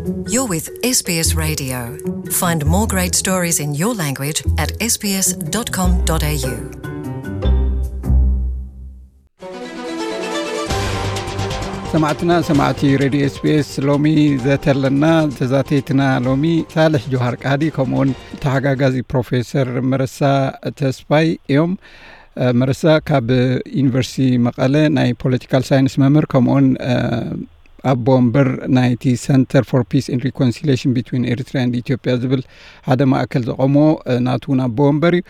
You're with S B S Radio. Find more great stories in your language at S B S dot com dot A U. ሰማዕትና፣ ሰማዕቲ ሬድዮ ኤስቢኤስ፣ ሎሚ ዘተለና ተዛተይትና ሎሚ ሳልሕ ጆሃር ቃዲ ከምኡውን ተሓጋጋዚ ፕሮፌሰር መረሳ ተስፋይ እዮም። መረሳ ካብ ዩኒቨርሲቲ መቐለ ናይ ፖለቲካል ሳይንስ መምህር ከምኡውን ኣቦ ወንበር ናይቲ Center for Peace and Reconciliation between Eritrea and Ethiopia ዝብል ሓደ ማእከል ዘቐሞ ናቱ እውን ኣቦ ወንበር እዩ።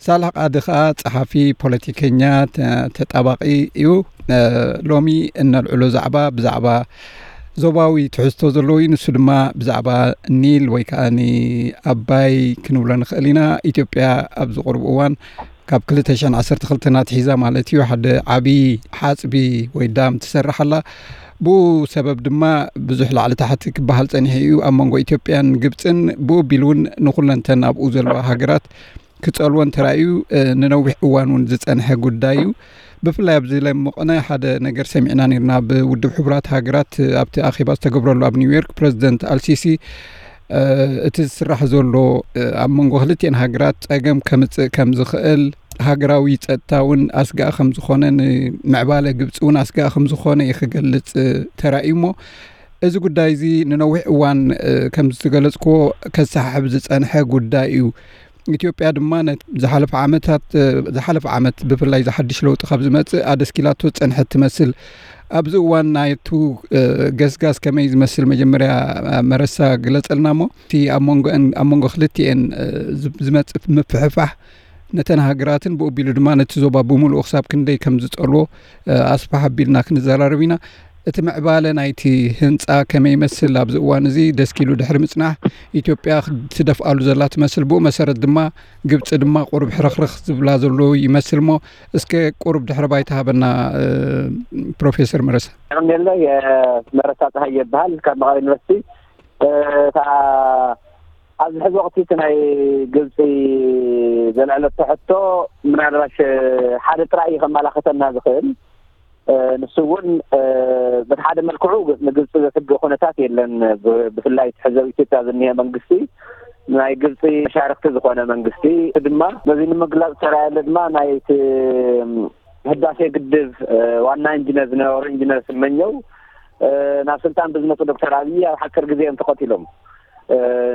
ሳልሕ ቃዲ ከኣ ጸሓፊ፣ ፖለቲከኛ፣ ተጣባቒ እዩ። ሎሚ እነልዕሎ ዛዕባ ብዛዕባ ዞባዊ ትሕዝቶ ዘለዎ እዩ። ንሱ ድማ ብዛዕባ ኒል ወይ ከኣ ኣባይ ክንብሎ ንኽእል ኢና። ኢትዮጵያ ኣብዚ ቁሩብ እዋን ካብ ክልተ ሽሕን ዓሰርተ ክልተን ኣትሒዛ ማለት እዩ ሓደ ዓቢ ሓጽቢ ወይ ዳም ትሰርሕ ኣላ። ብኡ ሰበብ ድማ ብዙሕ ላዕሊ ታሕቲ ክበሃል ጸኒሑ እዩ ኣብ መንጎ ኢትዮጵያን ግብጽን። ብኡ ቢሉ እውን ንኹለንተን ኣብኡ ዘለዋ ሃገራት ክጸልወን ተራእዩ ንነዊሕ እዋን እውን ዝጸንሐ ጉዳይ እዩ። ብፍላይ ኣብዚ ለምቕነ ሓደ ነገር ሰሚዕና ነርና። ብውድብ ሕቡራት ሃገራት ኣብቲ ኣኼባ ዝተገብረሉ ኣብ ኒውዮርክ ፕረዚደንት ኣልሲሲ እቲ ዝስራሕ ዘሎ ኣብ መንጎ ክልቲኤን ሃገራት ጸገም ከምጽእ ከም ዝኽእል፣ ሃገራዊ ጸጥታ እውን ኣስጋእ ከም ዝኾነ፣ ንምዕባለ ግብጺ እውን ኣስጋእ ከም ዝኾነ እዩ ክገልጽ ተራእዩ። እሞ እዚ ጉዳይ እዚ ንነዊሕ እዋን ከም ዝተገለጽክዎ ከሰሓሕብ ዝጸንሐ ጉዳይ እዩ። ኢትዮጵያ ድማ ዝሓለፈ ዓመታት ዝሓለፈ ዓመት ብፍላይ ዝሓድሽ ለውጢ ካብ ዝመጽእ ኣደስኪላቶ ዝጸንሐት ትመስል። ኣብዚ እዋን ናይቱ ገስጋስ ከመይ ዝመስል መጀመርያ መረሳ ግለጸልና እሞ እቲ ኣብ መንጎ ክልቲኤን ዝመጽእ ምፍሕፋሕ ነተን ሃገራትን ብኡ ኣቢሉ ድማ ነቲ ዞባ ብምሉኡ ክሳብ ክንደይ ከም ዝጸልዎ ኣስፍሕ ኣቢልና ክንዘራረብ ኢና። እቲ ምዕባለ ናይቲ ህንጻ ከመይ ይመስል ኣብዚ እዋን እዚ ደስኪሉ ድሕሪ ምጽናሕ ኢትዮጵያ ትደፍኣሉ ዘላ ትመስል። ብኡ መሰረት ድማ ግብጺ ድማ ቁሩብ ሕርኽርኽ ዝብላ ዘሎ ይመስል። እሞ እስከ ቁሩብ ድሕሪ ባይታ ሃበና ፕሮፌሰር መረሳ። የቐንየለይ። መረሳ ፀሃየ ይበሃል ካብ መቐለ ዩኒቨርሲቲ። እታ ኣብዚ ሕዚ ወቕቲ እቲ ናይ ግብፂ ዘልዐለቶ ሕቶ ምናልባሽ ሓደ ጥራይ እዩ ከመላኽተና ዝኽእል። ንሱ እውን በቲ ሓደ መልክዑ ንግብፂ ዘስግእ ኩነታት የለን። ብፍላይ ሕዚ ኣብ ኢትዮጵያ ዝኒሀ መንግስቲ ናይ ግብፂ መሻርክቲ ዝኾነ መንግስቲ ድማ ነዚ ንምግላፅ ዝተራየለ ድማ ናይቲ ህዳሴ ግድብ ዋና ኢንጂነር ዝነበሩ ኢንጂነር ስመኘው ናብ ስልጣን ብዝመፁ ዶክተር ኣብይ ኣብ ሓፂር ግዜ እዮም ተቐቲሎም።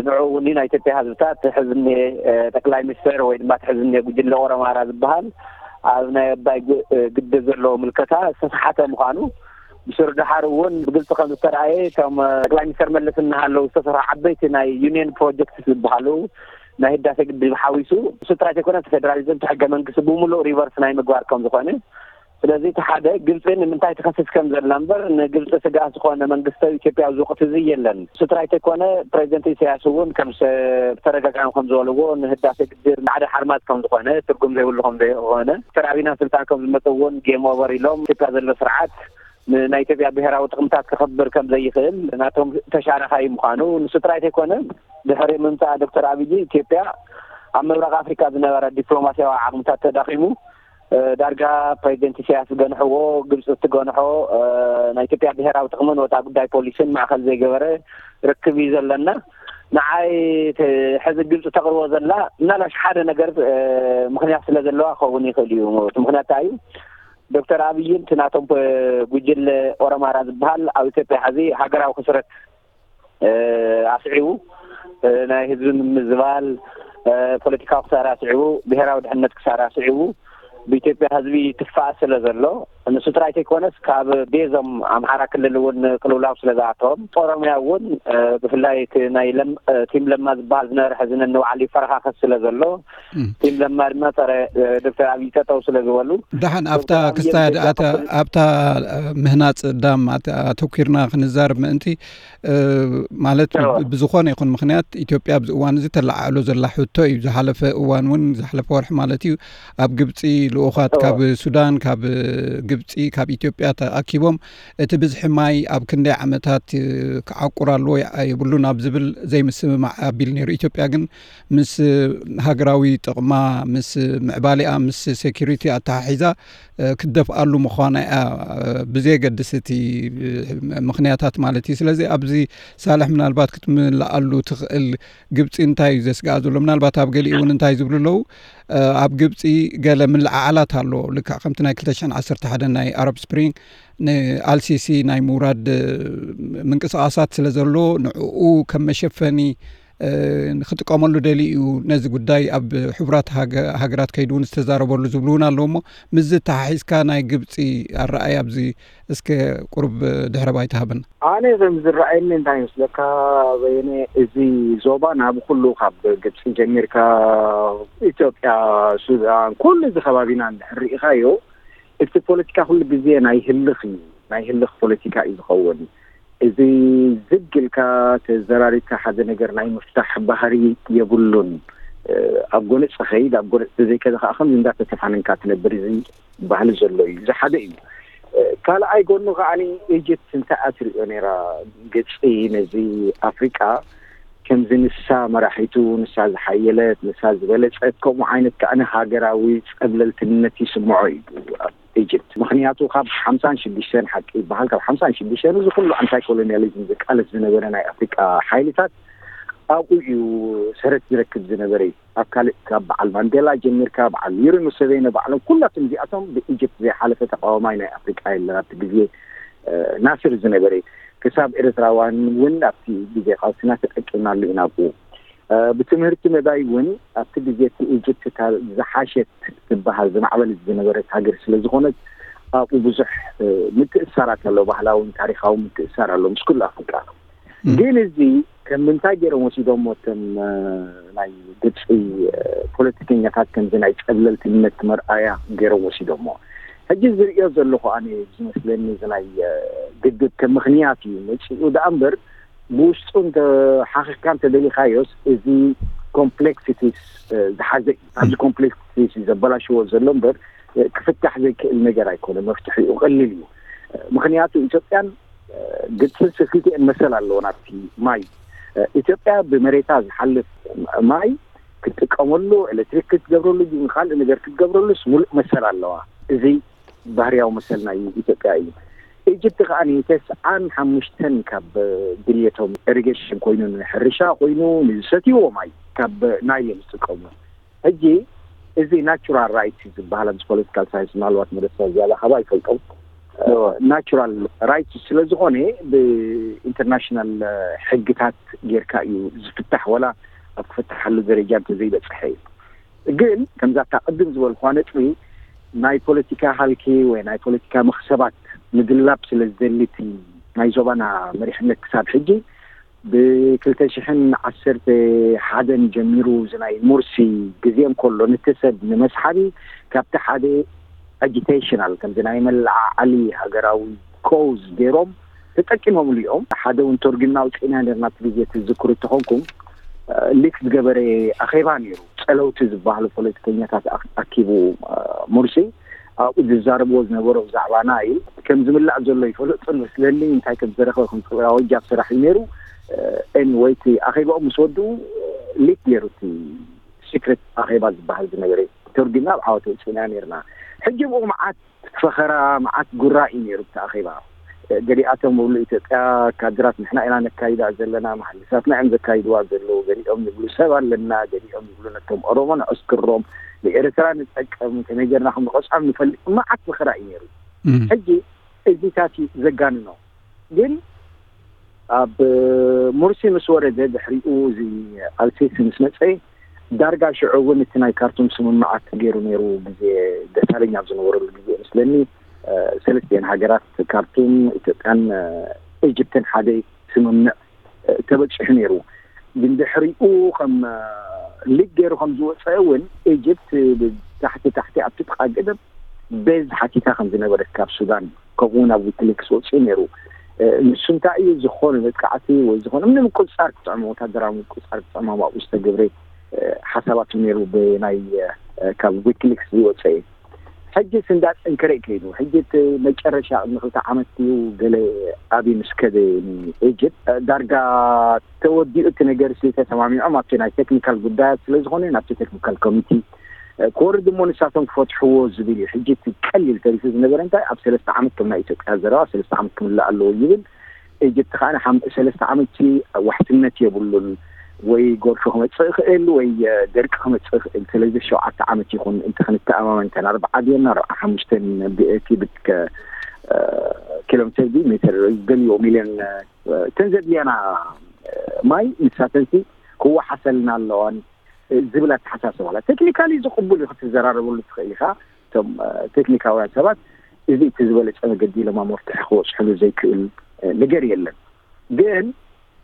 ንዑ እውን ናይ ኢትዮጵያ ህዝብታት ሕዚ እኒሀ ጠቅላይ ሚኒስትር ወይ ድማ ሕዚ እኒሀ ጉጅለ ኦሮማራ ዝበሃል ኣብ ናይ ኣባይ ግድብ ዘለዎ ምልከታ ዝተሰሓተ ምዃኑ ብስሩ ደሓር እውን ብግልፂ ከም ዝተረኣየ እቶም ጠቅላይ ሚኒስትር መለስ እናሃለዉ ዝተሰርሑ ዓበይቲ ናይ ዩኒየን ፕሮጀክት ዝበሃሉ ናይ ህዳሴ ግድብ ሓዊሱ እሱ ጥራይ ዘይኮነ እቲ ፌደራሊዝም እቲ ሕገ መንግስቲ ብምሉእ ሪቨርስ ናይ ምግባር ከም ዝኾነ። ስለዚ እቲ ሓደ ግብፂ ንምንታይ ትኸስስ ከም ዘላ እምበር ንግብፂ ስጋእ ዝኾነ መንግስቲ ኢትዮጵያ ኣብዚ ወቅቲ እዚ የለን። እሱ ጥራይ ዘይኮነ ፕሬዚደንት ኢሳያስ እውን ከም ብተደጋጋሚ ከም ዝበልዎ ንህዳሴ ግድብ ሓደ ሓርማዝ ከም ዝኾነ ትርጉም ዘይብሉ ከም ዘይኮነ ዶክተር ኣብይ ናብ ስልጣን ከም ዝመፁ እውን ጌም ኦቨር ኢሎም ኢትዮጵያ ዘሎ ስርዓት ንናይ ኢትዮጵያ ብሔራዊ ጥቕምታት ክኸብር ከም ዘይኽእል ናቶም ተሻረኻይ ምዃኑ ንሱ ጥራይ ዘይኮነ ድሕሪ ምምፃእ ዶክተር ኣብይ ኢትዮጵያ ኣብ ምብራቕ ኣፍሪካ ዝነበረ ዲፕሎማሲያዊ ዓቕምታት ተዳኺሙ ዳርጋ ፕሬዚደንት ኢሳያስ ዝገንሕዎ ግብፂ እትገንሖ ናይ ኢትዮጵያ ብሔራዊ ጥቕምን ወፃ ጉዳይ ፖሊስን ማእኸል ዘይገበረ ርክብ እዩ ዘለና። ንዓይ ሕዚ ግብፂ ተቕርቦ ዘላ ምናልባሽ ሓደ ነገር ምክንያት ስለ ዘለዋ ክኸውን ይኽእል እዩ። እቲ ምክንያት እንታይ እዩ? ዶክተር ኣብይን እቲ ናቶም ጉጅለ ኦሮማራ ዝበሃል ኣብ ኢትዮጵያ ሕዚ ሃገራዊ ክስረት ኣስዒቡ ናይ ህዝቢ ምምዝባል ፖለቲካዊ ክሳራ ኣስዒቡ ብሄራዊ ድሕነት ክሳራ ኣስዒቡ ብኢትዮጵያ ህዝቢ ትፋእ ስለ ዘሎ ንሱ ጥራይ ተይኮነስ ካብ ቤዞም ኣምሓራ ክልል እውን ቅልውላው ስለ ዝኣተዎም ኦሮሚያ እውን ብፍላይ እቲ ናይ ቲም ለማ ዝበሃል ዝነበረ ሕዚ ነንባዕሉ ይፈረኻኸስ ስለ ዘሎ ቲም ለማ ድማ ፀረ ዶክተር ኣብይ ጠጠው ስለ ዝበሉ ደሓን ኣብታ ክስታይ ኣብታ ምህናፅ ዳም ኣተኪርና ክንዛረብ ምእንቲ ማለት ብዝኾነ ይኹን ምክንያት ኢትዮጵያ ኣብዚ እዋን እዚ ተለዓዕሎ ዘላ ሕቶ እዩ። ዝሓለፈ እዋን እውን ዝሓለፈ ወርሒ ማለት እዩ ኣብ ግብፂ ልኡኻት ካብ ሱዳን ካብ ግብፂ ካብ ኢትዮጵያ ተኣኪቦም እቲ ብዝሒ ማይ ኣብ ክንደይ ዓመታት ክዓቁር ኣለዎ የብሉን ኣብ ዝብል ዘይምስምማዕ ኣቢሉ ነይሩ። ኢትዮጵያ ግን ምስ ሃገራዊ ጥቕማ፣ ምስ ምዕባሌኣ፣ ምስ ሴኩሪቲ ኣተሓሒዛ ክትደፍኣሉ ምዃና እያ፣ ብዘየገድስ እቲ ምኽንያታት ማለት እዩ። ስለዚ ኣብዚ ሳልሕ ምናልባት ክትምልኣሉ ትኽእል ግብፂ እንታይ እዩ ዘስግኣ ዘሎ? ምናልባት ኣብ ገሊኡ እውን እንታይ ዝብሉ ኣለዉ? ኣብ ግብፂ ገለ ምልዕዓላት ኣሎ። ልክዕ ከምቲ ናይ ክልተ ሽሕን ዓሰርተ ሓደን ናይ ኣረብ ስፕሪንግ ንኣልሲሲ ናይ ምውራድ ምንቅስቃሳት ስለ ዘሎ ንዕኡ ከም መሸፈኒ ክጥቀመሉ ደሊ እዩ። ነዚ ጉዳይ ኣብ ሕቡራት ሃገራት ከይዱ እውን ዝተዛረበሉ ዝብሉ እውን ኣለዉ። እሞ ምስዚ ተሓሒዝካ ናይ ግብፂ ኣረኣይ ኣብዚ እስከ ቁሩብ ድሕረ ባይታ ሃበና። ኣነ ከም ዝረኣየኒ እንታይ ይመስለካ በየነ፣ እዚ ዞባና ብኩሉ ካብ ግብፂ ጀሚርካ ኢትዮጵያ፣ ሱዳን፣ ኩሉ እዚ ከባቢና እንድሕር ርኢኻዮ እቲ ፖለቲካ ኩሉ ግዜ ናይ ህልኽ እዩ፣ ናይ ህልኽ ፖለቲካ እዩ ዝኸውን። እዚ ዝግ ኢልካ ተዘራሪብካ ሓደ ነገር ናይ ምፍታሕ ባህሪ የብሉን። ኣብ ጎነፅ ኸይድ፣ ኣብ ጎነፅ ተዘይከደ ከዓ ከምዚ እንዳተተፋነንካ ትነብር። እዚ ባህሊ ዘሎ እዩ። እዚ ሓደ እዩ። ካልኣይ ጎኑ ከዓኒ ኢጅፕት እንታይ እያ ትሪኦ ነይራ? ግብፂ ነዚ ኣፍሪቃ ከምዚ ንሳ መራሒቱ፣ ንሳ ዝሓየለት፣ ንሳ ዝበለፀት፣ ከምኡ ዓይነት ከዓኒ ሃገራዊ ፀብለልትነት ይስምዖ እዩ ኣብ ኢጅፕት። ምኽንያቱ ካብ ሓምሳን ሽዱሽተን ሓቂ ይበሃል፣ ካብ ሓምሳን ሽዱሽተን እዚ ኩሉ ኣንታይ ኮሎኒያሊዝም ዝቃለስ ዝነበረ ናይ ኣፍሪቃ ሓይልታት ኣብኡ እዩ ሰረት ዝረክብ ዝነበረ እዩ። ኣብ ካልእ ካብ በዓል ማንዴላ ጀሚርካ በዓል ዩሪ ሙሰቬኒ ባዕሎም ኩላቶም እዚኣቶም ብኢጅፕት ዘይሓለፈ ተቃዋማይ ናይ ኣፍሪቃ የለን። ኣብቲ ግዜ ናስር ዝነበረ ክሳብ ኤርትራውያን እውን ኣብቲ ግዜ ቃልስና ተጠቂምናሉ ኢና ኣብኡ። ብትምህርቲ መዳይ እውን ኣብቲ ግዜ እቲ ኢጅፕት እታ ዝሓሸት ትበሃል ዝማዕበለት ዝነበረት ሃገር ስለ ዝኾነት ኣብኡ ብዙሕ ምትእሳራት ኣሎ፣ ባህላውን ታሪኻዊ ምትእሳር ኣሎ ምስ ኩሉ ኣፍሪቃ። ግን እዚ ከም ምንታይ ገይሮም ወሲዶሞ እቶም ናይ ግብፂ ፖለቲከኛታት ከምዚ ናይ ፀብለልትነት መርኣያ ገይሮም ወሲዶሞ። ሕጂ ዝርእዮ ዘለኹ ኣነ ዝመስለኒ እዚ ናይ ግድብ ከም ምኽንያት እዩ መፂኡ ደኣ እምበር ብውሽጡ እንተ ሓኺኽካ እንተ ደሊኻዮስ እዚ ኮምፕሌክሲቲስ ዝሓዘ እዩ። ኣብዚ ኮምፕሌክሲቲስ እዩ ዘበላሽዎ ዘሎ እምበር ክፍታሕ ዘይክእል ነገር ኣይኮነ። መፍትሒኡ ቀሊል እዩ። ምኽንያቱ ኢትዮጵያን ግብፅን ስክልቲኤን መሰል ኣለዎ ናብቲ ማይ። ኢትዮጵያ ብመሬታ ዝሓልፍ ማይ ክትጥቀመሉ፣ ኤሌክትሪክ ክትገብረሉ፣ ካልእ ነገር ክትገብረሉስ ሙሉእ መሰል ኣለዋ። እዚ ባህርያዊ መሰል ናይ ኢትዮጵያ እዩ። ኢጅፕት ከኣ ተስዓን ሓሙሽተን ካብ ድልየቶም ኢሪጌሽን ኮይኑ፣ ንሕርሻ ኮይኑ፣ ንዝሰትይዎ ማይ ካብ ናይል እዮም ዝጥቀሙ። ሕጂ እዚ ናቹራል ራይት ዝበሃል ኣብዚ ፖለቲካል ሳይንስ ምናልባት መደስካ ዝያዳ ካባ ይፈልጦም። ናቹራል ራይት ስለ ዝኾነ ብኢንተርናሽናል ሕግታት ጌርካ እዩ ዝፍታሕ፣ ወላ ኣብ ክፍታሓሉ ደረጃ እንተዘይበፅሐ እዩ። ግን ከምዛ እታ ቅድም ዝበልኳ ነጥቢ ናይ ፖለቲካ ሃልኪ ወይ ናይ ፖለቲካ መኽሰባት ምድላብ ስለ ዝደሊ እቲ ናይ ዞባና መሪሕነት ክሳብ ሕጂ ብክልተ ሽሕን ዓሰርተ ሓደን ጀሚሩ እዚ ናይ ሙርሲ ግዜ እንከሎ ነቲ ሰብ ንመስሓቢ ካብቲ ሓደ ኣጂቴሽናል ከምዚ ናይ መለዓዓሊ ሃገራዊ ኮዝ ገይሮም ተጠቂሞምሉ እዮም። ሓደ እውን ተርጉምና ኣውፂእና ነርና እቲ ግዜ ትዝክሩ እንተኾንኩም ሊክ ዝገበረ ኣኼባ ነይሩ። ፀለውቲ ዝበሃሉ ፖለቲከኛታት ኣኪቡ ሙርሲ ኣብኡ ዝዛረብዎ ዝነበሩ ብዛዕባ ናይል ከም ዝምላእ ዘሎ ይፈልጡ መስለኒ። እንታይ ከም ዝረኸበ ከም ክብራዊ ጃብ ስራሕ እዩ ነይሩ። ኤኒወይ እቲ ኣኼባኦም ምስ ወድኡ ሊክ ገይሩ እቲ ሲክሬት ኣኼባ ዝበሃል ዝነበረ ተርጉምና ኣብ ዓወት ወፂእና ነርና። ሕጂ ብኡ መዓት ፈኸራ መዓት ጉራ እዩ ነይሩ እቲ ኣኼባ። ገሊኣቶም እብሉ ኢትዮጵያ ካድራት ንሕና ኢና ነካይዳ ዘለና፣ መሃንድሳትና እዮም ዘካይድዋ ዘለዉ፣ ገሊኦም ይብሉ ሰብ ኣለና፣ ገሊኦም ይብሉ ነቶም ኦሮሞ ንዕስክሮም ንኤርትራ ንጠቀም ከመይ ጌርና ከም ንቐፅዖም ንፈልጥ። መዓት ፈኸራ እዩ ነይሩ። ሕጂ እዚታት እዩ ዘጋንኖ። ግን ኣብ ሙርሲ ምስ ወረደ ድሕሪኡ እዚ ኣልሲሲ ምስ መፀ ዳርጋ ሽዑ እውን እቲ ናይ ካርቱም ስምምዓት ገይሩ ነይሩ። ግዜ ደሳለኛ ኣብ ዝነበረሉ ግዜ ምስለኒ ሰለስቲአን ሃገራት ካርቱም፣ ኢትዮጵያን ኢጅፕትን ሓደ ስምምዕ ተበፂሑ ነይሩ። ግን ድሕሪኡ ከም ሊግ ገይሩ ከም ዝወፀ እውን ኢጅፕት ብታሕቲ ታሕቲ ኣብቲ ጥቃ ገደብ ቤዝ ሓቲታ ከም ዝነበረት ካብ ሱዳን ከምኡ እውን ኣብ ዊኪሊክስ ወፂኡ ነይሩ። ንሱ እንታይ እዩ ዝኾነ መጥቃዕቲ ወይ ዝኾነ ምንም ምቁፅፃር ክጥዕሞ ወታደራዊ ምቁፅፃር ክጥዕሞም ኣብኡ ዝተገብረ ሓሳባት እዩ ነይሩ ብናይ ካብ ዊኪሊክስ ዝወፀ እዩ። ሕጅስ እንዳጠንከረ እዩ ከይዱ። ሕጂ እቲ መጨረሻ ቅድሚ ክልተ ዓመት እዩ ገለ ኣብይ ምስ ከደ ንኤጅፕት፣ ዳርጋ ተወዲኡ እቲ ነገር ሲ ተሰማሚዖም ኣብቲ ናይ ቴክኒካል ጉዳያት ስለ ዝኾነ ናብቲ ቴክኒካል ኮሚቲ ክወርድ እሞ ንሳቶም ክፈትሕዎ ዝብል እዩ። ሕጂ እቲ ቀሊል ተሪፉ ዝነበረ እንታይ ኣብ ሰለስተ ዓመት ከም ናይ ኢትዮጵያ ዘረባ ሰለስተ ዓመት ክምላእ ኣለዎ ይብል። ኤጅፕት ከዓ ንሓም- ሰለስተ ዓመት ሲ ዋሕስነት የብሉን፣ ወይ ጎርፊ ክመፅእ ይኽእል ወይ ደርቂ ክመፅእ ይኽእል። ስለዚ ሸውዓተ ዓመት ይኹን እንተ ክንተኣማመን እተን ኣርባዓ ድየን ኣርባዓ ሓሙሽተን ኪቢክ ኪሎ ሜትር ድዩ ሜትር ዝደልዮ ሚልዮን እተን ዘድልያና ማይ ንሳተን ሲ ክወሓሰልና ኣለዋን ዝብል ኣተሓሳስባ ኣላ። ቴክኒካሊ ዝቕቡል እዩ ክትዘራረበሉ ትኽእል ኢኻ። እቶም ቴክኒካውያን ሰባት እዚ እቲ ዝበለፀ መገዲ ኢሎም ኣብ መፍትሒ ክበፅሕሉ ዘይክእል ነገር የለን። ግን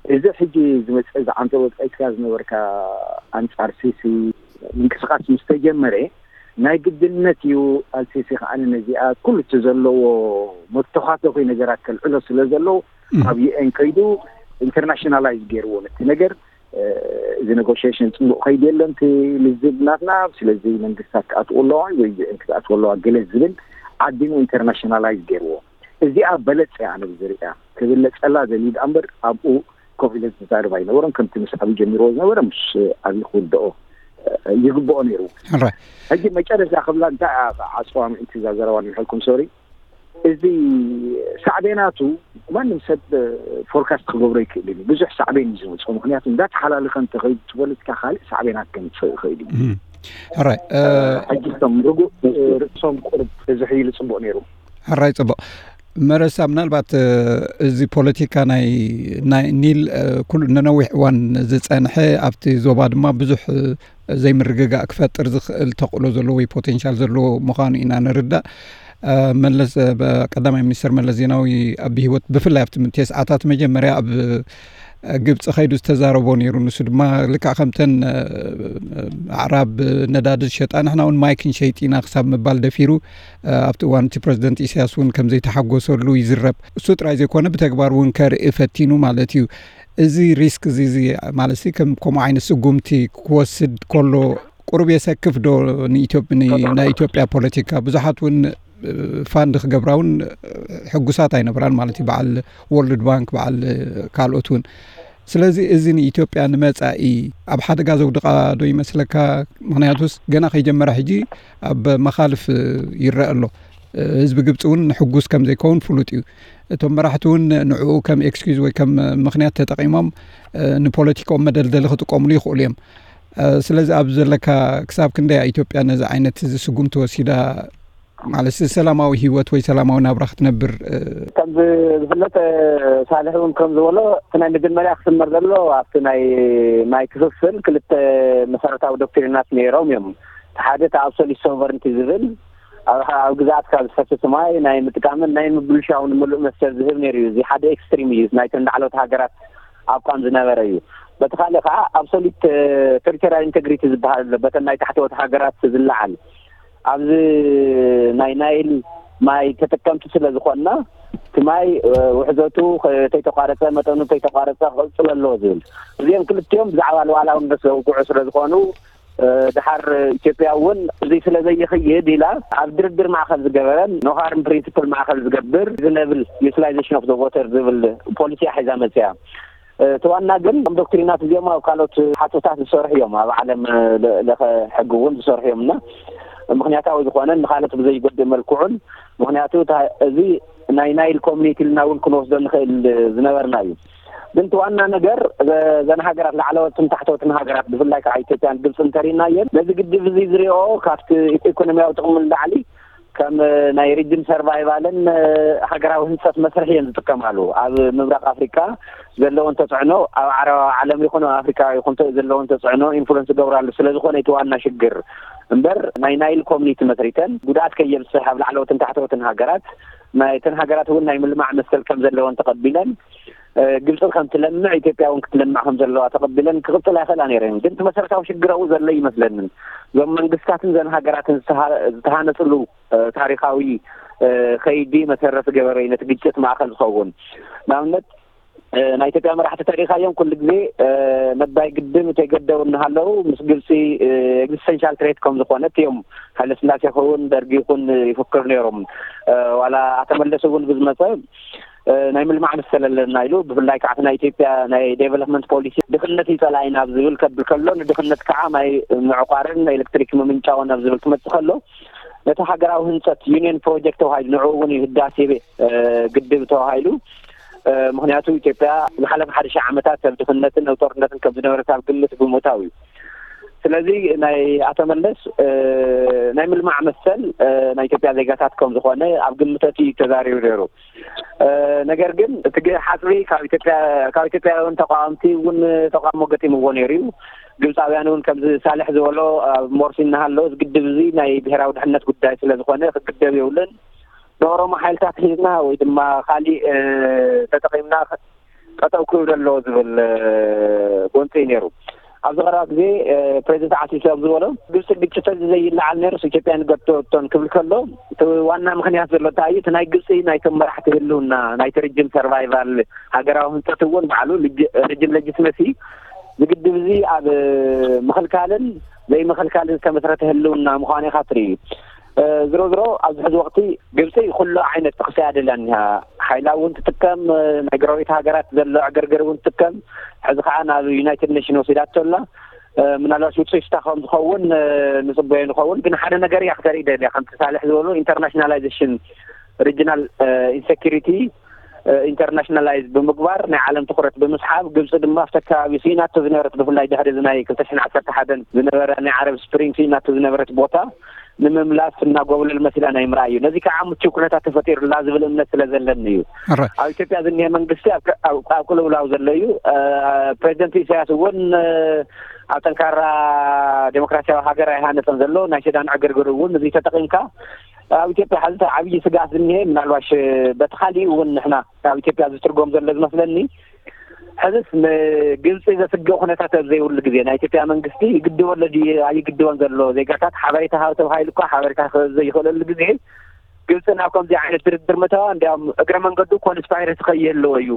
እዚ ሕጂ ዝመፀ ዝዓንተ ወፃኢትካ ዝነበርካ ኣንፃር ሲሲ ምንቅስቃስ ምስ ተጀመረ ናይ ግድነት እዩ። ኣልሲሲ ከዓ ነዚኣ ኩሉ እቲ ዘለዎ መተኻተኺ ነገራት ከልዕሎ ስለ ዘለዎ ኣብ ዩኤን ከይዱ ኢንተርናሽናላይዝ ገይርዎ ነቲ ነገር። እዚ ኔጎሽሽን ፅቡቅ ከይዲ የለን እቲ ልዝብ ናትና። ስለዚ መንግስታት ክኣትዎ ኣለዋ ወይ ዩኤን ክትኣትዎ ኣለዋ ገለ ዝብል ዓዲሙ ኢንተርናሽናላይዝ ገይርዎ። እዚኣ በለፅ እያ ኣነ ዝርእያ። ክብለፀላ ዘልዩ ደኣ እምበር ኣብኡ ኮፍ ኢለ ዝዛረብ ኣይነበረን። ከምቲ ምስ ኣብይ ጀሚርዎ ዝነበረ ምስ ኣብይ ክውደኦ ይግብኦ ነይሩ። ሕጂ መጨረሻ ክብላ እንታይ ዓፅዋ ምእንቲ እዛ ዘረባ ንብሐልኩም ሶሪ። እዚ ሳዕቤናቱ ማንም ሰብ ፎርካስት ክገብሮ ይክእል እዩ። ብዙሕ ሳዕቤን እዩ ዝመፅኦ። ምክንያቱ እንዳተሓላለኸ እንተኸይዱ እቲ ፖለቲካ ካልእ ሳዕቤናት ከምፅእ ይኽእል እዩ። ሕራይ ሕጂ እቶም ርጉእ ርእሶም ቁርብ ተዝሕይሉ ፅቡቅ ነይሩ። ሕራይ ፅቡቅ። መረሳ ምናልባት እዚ ፖለቲካ ናይ ናይ ኒል ኩሉ ነነዊሕ እዋን ዝፀንሐ ኣብቲ ዞባ ድማ ብዙሕ ዘይምርግጋእ ክፈጥር ዝኽእል ተኽእሎ ዘለዎ ወይ ፖቴንሻል ዘለዎ ምዃኑ ኢና ንርዳእ። መለስ ቀዳማይ ሚኒስትር መለስ ዜናዊ ኣብ ህይወት ብፍላይ ኣብቲ ተስዓታት መጀመርያ ኣብ ግብፂ ከይዱ ዝተዛረቦ ነይሩ። ንሱ ድማ ልክዕ ከምተን ኣዕራብ ነዳዲ ዝሸጣ ንሕና እውን ማይ ክንሸይጥ ኢና ክሳብ ምባል ደፊሩ። ኣብቲ እዋን እቲ ፕረዚደንት ኢሳያስ እውን ከምዘይተሓጎሰሉ ይዝረብ። እሱ ጥራይ ዘይኮነ ብተግባር እውን ከርኢ ፈቲኑ ማለት እዩ። እዚ ሪስክ እዚ ማለት ከም ከምኡ ዓይነት ስጉምቲ ክወስድ ከሎ ቁሩብ የሰክፍ ዶ ንኢትዮጵ- ን- ናይ ኢትዮጵያ ፖለቲካ? ብዙሓት እውን ፋንድ ክገብራ እውን ሕጉሳት ኣይነበራን ማለት እዩ። በዓል ወርልድ ባንክ በዓል ካልኦት እውን። ስለዚ እዚ ንኢትዮጵያ ንመጻኢ ኣብ ሓደጋ ዘውድቓ ዶ ይመስለካ? ምክንያቱስ ገና ከይጀመረ ሕጂ ኣብ መኻልፍ ይረአ ኣሎ። ህዝቢ ግብፂ እውን ሕጉስ ከም ዘይከውን ፍሉጥ እዩ። እቶም መራሕቲ እውን ንዕኡ ከም ኤክስኪዝ ወይ ከም ምክንያት ተጠቒሞም ንፖለቲካኦም መደልደሊ ክጥቀሙሉ ይኽእሉ እዮም። ስለዚ ኣብ ዘለካ ክሳብ ክንደይ ኢትዮጵያ ነዚ ዓይነት እዚ ስጉምቲ ወሲዳ ማለት ሰላማዊ ህይወት ወይ ሰላማዊ ናብራ ክትነብር? ከምዚ ዝፍለጥ ሳልሕ እውን ከም ዝበሎ እቲ ናይ መጀመርያ ክስመር ዘሎ ኣብቲ ናይ ማይ ክፍፍል ክልተ መሰረታዊ ዶክትሪናት ነይሮም እዮም። ሓደ እቲ ኣብሶሉት ሶቨርንቲ ዝብል ኣብ ኣብ ግዛኣትካ ዝፈስስ ማይ ናይ ምጥቃምን ናይ ምብልሻውን ምሉእ መሰል ዝህብ ነይሩ እዩ። እዚ ሓደ ኤክስትሪም እዩ፣ ናይተን ላዕለዎት ሃገራት ኣቋም ዝነበረ እዩ። በቲ ካልእ ከዓ ኣብሶሉት ቴሪቶሪያል ኢንቴግሪቲ ዝበሃል ኣሎ፣ በተን ናይ ታሕተዎት ሃገራት ዝለዓል። ኣብዚ ናይ ናይል ማይ ተጠቀምቲ ስለ ዝኾንና እቲ ማይ ውሕዘቱ ተይተቋረፀ መጠኑ ተይተቋረፀ ክቕፅል ኣለዎ ዝብል፣ እዚኦም ክልቲኦም ብዛዕባ ሉዓላውነት ዘውግዑ ስለ ዝኾኑ ድሓር ኢትዮጵያ እውን እዚ ስለ ዘይኽይድ ኢላ ኣብ ድርድር ማእኸል ዝገበረን ኖ ሃርም ፕሪንስፕል ማእኸል ዝገብር ዝነብል ዩቲላይዜሽን ኦፍ ዘ ዎተር ዝብል ፖሊሲ ሒዛ መፅያ። እቲ ዋና ግን እም ዶክትሪናት እዚኦም ኣብ ካልኦት ሓፅታት ዝሰርሑ እዮም፣ ኣብ ዓለም ለኸ ሕጊ እውን ዝሰርሑ እዮም እና ምክንያታዊ ዝኾነ ንካልኦት ብዘይጎድእ መልክዑን ምክንያቱ እዚ ናይ ናይል ኮሚኒቲ ኢልና እውን ክንወስዶ ንኽእል ዝነበርና እዩ። ግን እቲ ዋና ነገር ዘን ሃገራት ላዕለዎትን ታሕተዎትን ሃገራት ብፍላይ ከዓ ኢትዮጵያን ግብፂ እንተሪእናየን ነዚ ግድብ እዚ ዝሪኦ ካብቲ ኢኮኖሚያዊ ጥቕሚ ንላዕሊ ከም ናይ ሪጅን ሰርቫይቫልን ሃገራዊ ህንፀት መስርሒ እየን ዝጥቀማሉ። ኣብ ምብራቅ ኣፍሪካ ዘለዎን ተፅዕኖ ኣብ ዓረባዊ ዓለም ይኹን ኣብ ኣፍሪካ ይኹን ዘለዎን ተፅዕኖ ኢንፍሉንስ ገብራሉ ስለዝኾነ እቲ ዋና ሽግር እምበር ናይ ናይል ኮሚኒቲ መስሪተን ጉድኣት ከየብፅሕ ኣብ ላዕለዎትን ታሕተዎትን ሃገራት ናይተን ሃገራት እውን ናይ ምልማዕ መሰል ከም ዘለወን ተቐቢለን ግብፂ ከም ትለምዕ ኢትዮጵያ እውን ክትለምዕ ከም ዘለዋ ተቐቢለን ክቕፅል ኣይኽእላ ነይረን። ግን እቲ መሰረታዊ ሽግር ኣብኡ ዘሎ ይመስለንን እዞም መንግስታትን ዘን ሃገራትን ዝተሃነፅሉ ታሪካዊ ከይዲ መሰረት ገበረ ነቲ ግጭት ማእኸል ዝኸውን ንኣብነት ናይ ኢትዮጵያ መራሕቲ ተሪኻዮም ኩሉ ግዜ ነባይ ግድብ እንተይገደቡ እናሃለዉ ምስ ግብፂ ኤግዚስተንሻል ትሬት ከም ዝኾነት እዮም። ሃይለስላሴ ይኸውን ደርጊ ይኹን ይፍክር ነይሮም። ዋላ ኣተመለስ እውን ብዝመፀ ናይ ምልማዕ መሰል ኣለና ኢሉ፣ ብፍላይ ከዓ ናይ ኢትዮጵያ ናይ ዴቨሎፕመንት ፖሊሲ ድኽነት እዩ ፀላኢና ኣብ ዝብል ከብል ከሎ፣ ንድኽነት ከዓ ማይ ምዕቋርን ኤሌክትሪክ ምምንጫውን ኣብ ዝብል ክመፅእ ከሎ፣ ነቲ ሃገራዊ ህንፀት ዩኒየን ፕሮጀክት ተባሂሉ፣ ንዕኡ እውን እዩ ህዳሴ ግድብ ተባሂሉ። ምክንያቱ ኢትዮጵያ ዝሓለፈ ሓደ ሺሕ ዓመታት ኣብ ድኽነትን ኣብ ጦርነትን ከም ዝነበረት ኣብ ግምት ብምእታው እዩ። ስለዚ ናይ ኣቶ መለስ ናይ ምልማዕ መሰል ናይ ኢትዮጵያ ዜጋታት ከም ዝኾነ ኣብ ግምት ኣትዩ እዩ ተዛሪቡ ነይሩ። ነገር ግን እቲ ሓፅቢ ካብ ኢትዮጵያ ካብ ኢትዮጵያውያን ተቃወምቲ እውን ተቃውሞ ገጢምዎ ነይሩ እዩ። ግብፃውያን እውን ከምዚ ሳልሕ ዝበሎ ኣብ ሞርሲ እናሃለወ እዚ ግድብ እዚ ናይ ብሔራዊ ድሕነት ጉዳይ ስለዝኾነ ክግደብ የብሉን፣ ንኦሮሞ ሓይልታት ሒዝና ወይ ድማ ካሊእ ተጠቒምና ጠጠው ክብል ኣለዎ ዝብል ጎንፂ እዩ ነይሩ። ኣብዚ ቀረባ ግዜ ፕሬዚደንት ዓሲሲ ኣብ ዝበሎ ግብፂ ግጭት እዚ ዘይለዓል ነይሩስ ኢትዮጵያ ንገድቶቶን ክብል ከሎ እቲ ዋና ምክንያት ዘሎ እንታይ እዩ? እቲ ናይ ግብፂ ናይቶም መራሕቲ ህልውና ናይቲ ሪጅን ሰርቫይቫል ሃገራዊ ህንፀት እውን ባዕሉ ሪጅን ሌጂትመሲ ዝግድብ እዚ ኣብ ምኽልካልን ዘይምኽልካልን ዝተመስረተ ህልውና ምዃኑ ኢኻ ትርኢ። ዝሮ ዝሮ ኣብዚ ሕዚ ወቅቲ ግብፂ ኩሉ ዓይነት ጥቕሲ እያ ደልያ እኒሃ። ሓይላ እውን ትጥቀም፣ ናይ ጎረቤት ሃገራት ዘሎ ዕግርግር እውን ትጥቀም። ሕዚ ከዓ ናብ ዩናይትድ ኔሽን ወሲዳቶ ኣላ። ምናልባት ውፅኢት ስታ ከም ዝኸውን ንፅበዮ ንኸውን፣ ግን ሓደ ነገር እያ ክተርኢ ደልያ ከምቲ ሳልሕ ዝበሉ ኢንተርናሽናላይዜሽን ሪጅናል ኢንሴኪሪቲ ኢንተርናሽናላይዝ ብምግባር ናይ ዓለም ትኩረት ብምስሓብ፣ ግብፂ ድማ ኣብቲ ኣከባቢ ስኢናቶ ዝነበረት ብፍላይ ድሕሪ እዚ ናይ ክልተ ሽሕን ዓሰርተ ሓደን ዝነበረ ናይ ዓረብ ስፕሪንግ ስኢናቶ ዝነበረት ቦታ ንምምላስ እናጎብለል መሲላ ናይ ምርኣይ እዩ። ነዚ ከዓ ምቹው ኩነታት ተፈጢሩላ ዝብል እምነት ስለ ዘለኒ እዩ። ኣብ ኢትዮጵያ ዝኒሀ መንግስቲ ኣብ ቅልውላው ዘሎ እዩ። ፕሬዚደንት ኢሳያስ እውን ኣብ ጠንካራ ዴሞክራሲያዊ ሃገር ኣይሃነፀን ዘሎ። ናይ ሸዳን ዕግርግር እውን እዚ ተጠቂምካ ኣብ ኢትዮጵያ ሕዚ ዓብዪ ስግኣት ዝኒሀ ምናልባሽ በቲ ካሊእ እውን ንሕና ኣብ ኢትዮጵያ ዝትርጎም ዘሎ ዝመስለኒ ሕዝስ ንግብፂ ዘስግእ ኩነታት ኣብ ዘይብሉ ግዜ ናይ ኢትዮጵያ መንግስቲ ይግድቦ ኣሎ ድዩ ኣይግድቦን ዘሎ ዜጋታት ሓበሬታ ሃብ ተባሂሉ እኳ ሓበሬታ ክህብ ዘይኽእለሉ ግዜ ግብፂ ናብ ከምዚ ዓይነት ድርድር ምእታዋ እንዲያውም እግረ መንገዱ ኮንስፓይረሲ ከይህልዎ እዩ።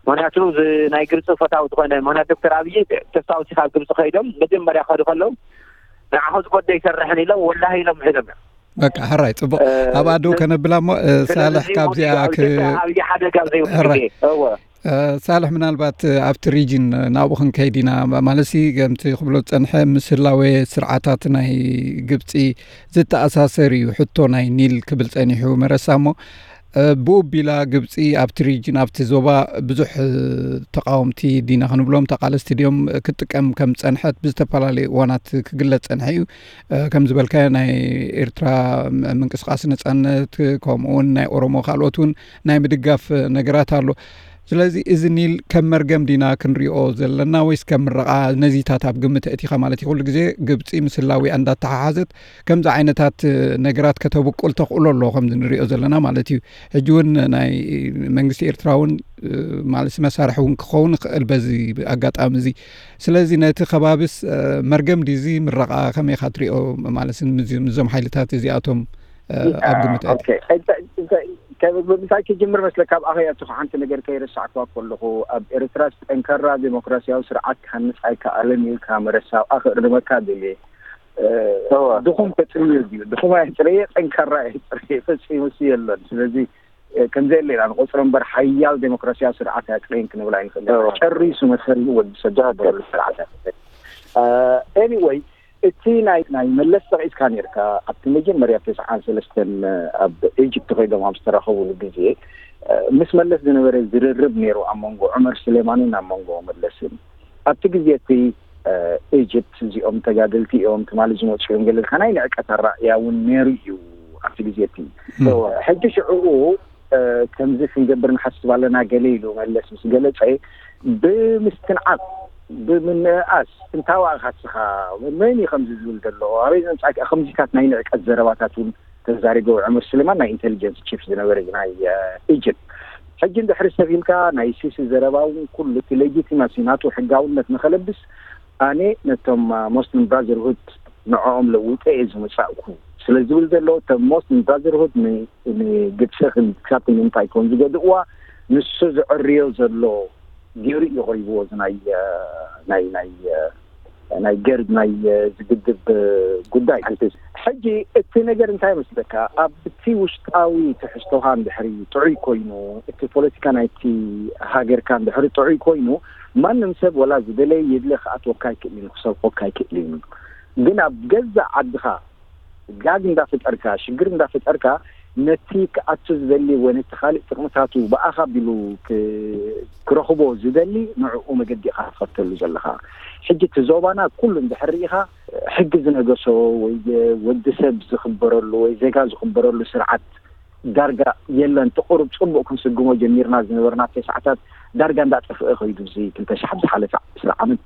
ምክንያቱ እዚ ናይ ግብፂ ፈታዊ ዝኾነ ምክንያት ዶክተር ኣብይ ተስፋውሲ ካብ ግብፂ ከይዶም መጀመርያ ክኸዱ ከለዉ ንዓኹ ዝጎደ ይሰርሕን ኢሎም ወላሂ ኢሎም ሒዶም እዮም። በቃ ሕራይ ፅቡቅ ኣብ ኣዶ ከነብላ እሞ ሳልሕ ካብዚኣ ኣብይ ሓደጋ ዘይብሉ ግዜ እወ ሳልሕ ምናልባት ኣብቲ ሪጅን ናብኡ ክንከይድ ኢና ማለት ሲ ከምቲ ክብሎ ዝፀንሐ ምስ ህላዌ ስርዓታት ናይ ግብፂ ዝተኣሳሰር እዩ ሕቶ ናይ ኒል ክብል ፀኒሑ መረሳ እሞ ብኡ ቢላ ግብፂ ኣብቲ ሪጅን ኣብቲ ዞባ ብዙሕ ተቃወምቲ ዲና ክንብሎም ተቃለስቲ ድዮም ክጥቀም ከም ፀንሐት ብዝተፈላለዩ እዋናት ክግለፅ ፀንሐ እዩ ከም ዝበልካዮ ናይ ኤርትራ ምንቅስቃስ ነፃነት ከምኡውን ናይ ኦሮሞ ካልኦት እውን ናይ ምድጋፍ ነገራት ኣሎ ስለዚ እዚ ኒል ከም መርገም ዲና ክንሪኦ ዘለና ወይስ ከም ምረቃ ነዚታት ኣብ ግምት እቲኻ ማለት እዩ ኩሉ ግዜ ግብፂ ምስ ህላዊኣ እንዳተሓሓዘት ከምዚ ዓይነታት ነገራት ከተብቁል ተኽእሎ ኣሎ ከምዚ ንሪኦ ዘለና ማለት እዩ ሕጂ እውን ናይ መንግስቲ ኤርትራ እውን ማለት መሳርሒ እውን ክኸውን ይኽእል በዚ ኣጋጣሚ እዚ ስለዚ ነቲ ከባቢስ መርገም ድዚ ምረቃ ከመይ ኢኻ ትሪኦ ማለት ምዞም ሓይልታት እዚኣቶም ኣብ ግምት ምሳይ ክጅምር መስለካ ኣብ ኣኸያቱ ሓንቲ ነገር ከይረሳዕክዋ ከለኹ ኣብ ኤርትራ ጠንካራ ዴሞክራሲያዊ ስርዓት ክሃንፅ ኣይከኣልን እዩ ካብ መረሳ ኣብኣ ክእርመካ ደልየ ድኹም ተፅርዮ ድዩ ድኹም ኣየፅረየ ጠንካራ ኣየፅረየ ፈፂሙ የለን ስለዚ ከምዘየለ ኢና ንቆፅሮ እምበር ሓያል ዴሞክራሲያዊ ስርዓት ኣያፅረየን ክንብል ኣይንኽእል ጨሪሱ መሰሉ ወዲ ሰብ ዝገበረሉ ስርዓት ኣይኮነን anyway እቲ ናይ ናይ መለስ ጠቒስካ ነርካ ኣብቲ መጀመርያ ተስዓን ሰለስተን ኣብ ኢጅፕት ኮይዶም ኣብ ዝተራኸብሉ ግዜ ምስ መለስ ዝነበረ ዝርርብ ነይሩ ኣብ መንጎ ዑመር ስሌማንን ኣብ መንጎ መለስን ኣብቲ ግዜ እቲ ኢጅፕት እዚኦም ተጋደልቲ እዮም ትማሊ ዝመፁ እዮም ገለልካ ናይ ንዕቀት ኣራእያ እውን ነይሩ እዩ ኣብቲ ግዜ እቲ ሕጂ ሽዕኡ ከምዚ ክንገብር ንሓስብ ኣለና ገለ ኢሉ መለስ ምስ ገለፀ ብምስትንዓቕ ብምንእኣስ እንታዋእኻ ስኻ መን እዩ ከምዚ ዝብል ዘሎ ኣበይ ዘምፃእካ ከምዚታት ናይ ንዕቀት ዘረባታት እውን ተዛሪበ ዑመር ስሌማን ናይ ኢንቴሊጀንስ ቺፍ ዝነበረ ናይ ኢጅፕት ሕጂ እንድሕሪ ሰብ ኢልካ ናይ ሲሲ ዘረባ እውን ኩሉ እቲ ሌጂቲማሲ ናቱ ሕጋውነት ንኸለብስ ኣነ ነቶም ሞስሊም ብራዘርሁድ ንዕኦም ለዊጠ እየ ዝመፃእኩ ስለ ዝብል ዘሎ እቶም ሞስሊም ብራዘርሁድ ንግብፂ ክሳብ ንምንታይ ከም ዝገድእዋ ንሱ ዝዕርዮ ዘሎ ገይሩ እዩ ቀሪብዎ። እዚ ናይ ናይ ናይ ናይ ገርድ ናይ ዝግድብ ጉዳይ። ሕጂ እቲ ነገር እንታይ መስለካ? ኣብቲ ውሽጣዊ ትሕዝቶኻ እንድሕሪ ጥዑይ ኮይኑ፣ እቲ ፖለቲካ ናይቲ ሃገርካ እንድሕሪ ጥዑይ ኮይኑ፣ ማንም ሰብ ወላ ዝደለየ ይድለ ክኣትወካ ኣይክእል እዩ፣ ክሰርቆካ ኣይክእል እዩ። ግን ኣብ ገዛእ ዓድኻ ጋግ እንዳፈጠርካ፣ ሽግር እንዳፈጠርካ፣ ነቲ ክኣቱ ዝደሊ ወይ ነቲ ካልእ ጥቕምታቱ ብኣኻ ቢሉ ክረኽቦ ዝደሊ ንዕኡ መገዲ ኢኻ ትኸተሉ ዘለኻ። ሕጂ እቲ ዞባና ኩሉ እንድሕር ርኢኻ፣ ሕጊ ዝነገሶ ወይ ወዲ ሰብ ዝኽበረሉ ወይ ዜጋ ዝኽበረሉ ስርዓት ዳርጋ የለን። እቲ ቁሩብ ጽቡቕ ክንስግሞ ጀሚርና ዝነበርና ተስዓታት ዳርጋ እንዳጠፍአ ከይዱ፣ እዚ ክልተ ሽሕ ብዝሓለፈ ዕስራ ዓመት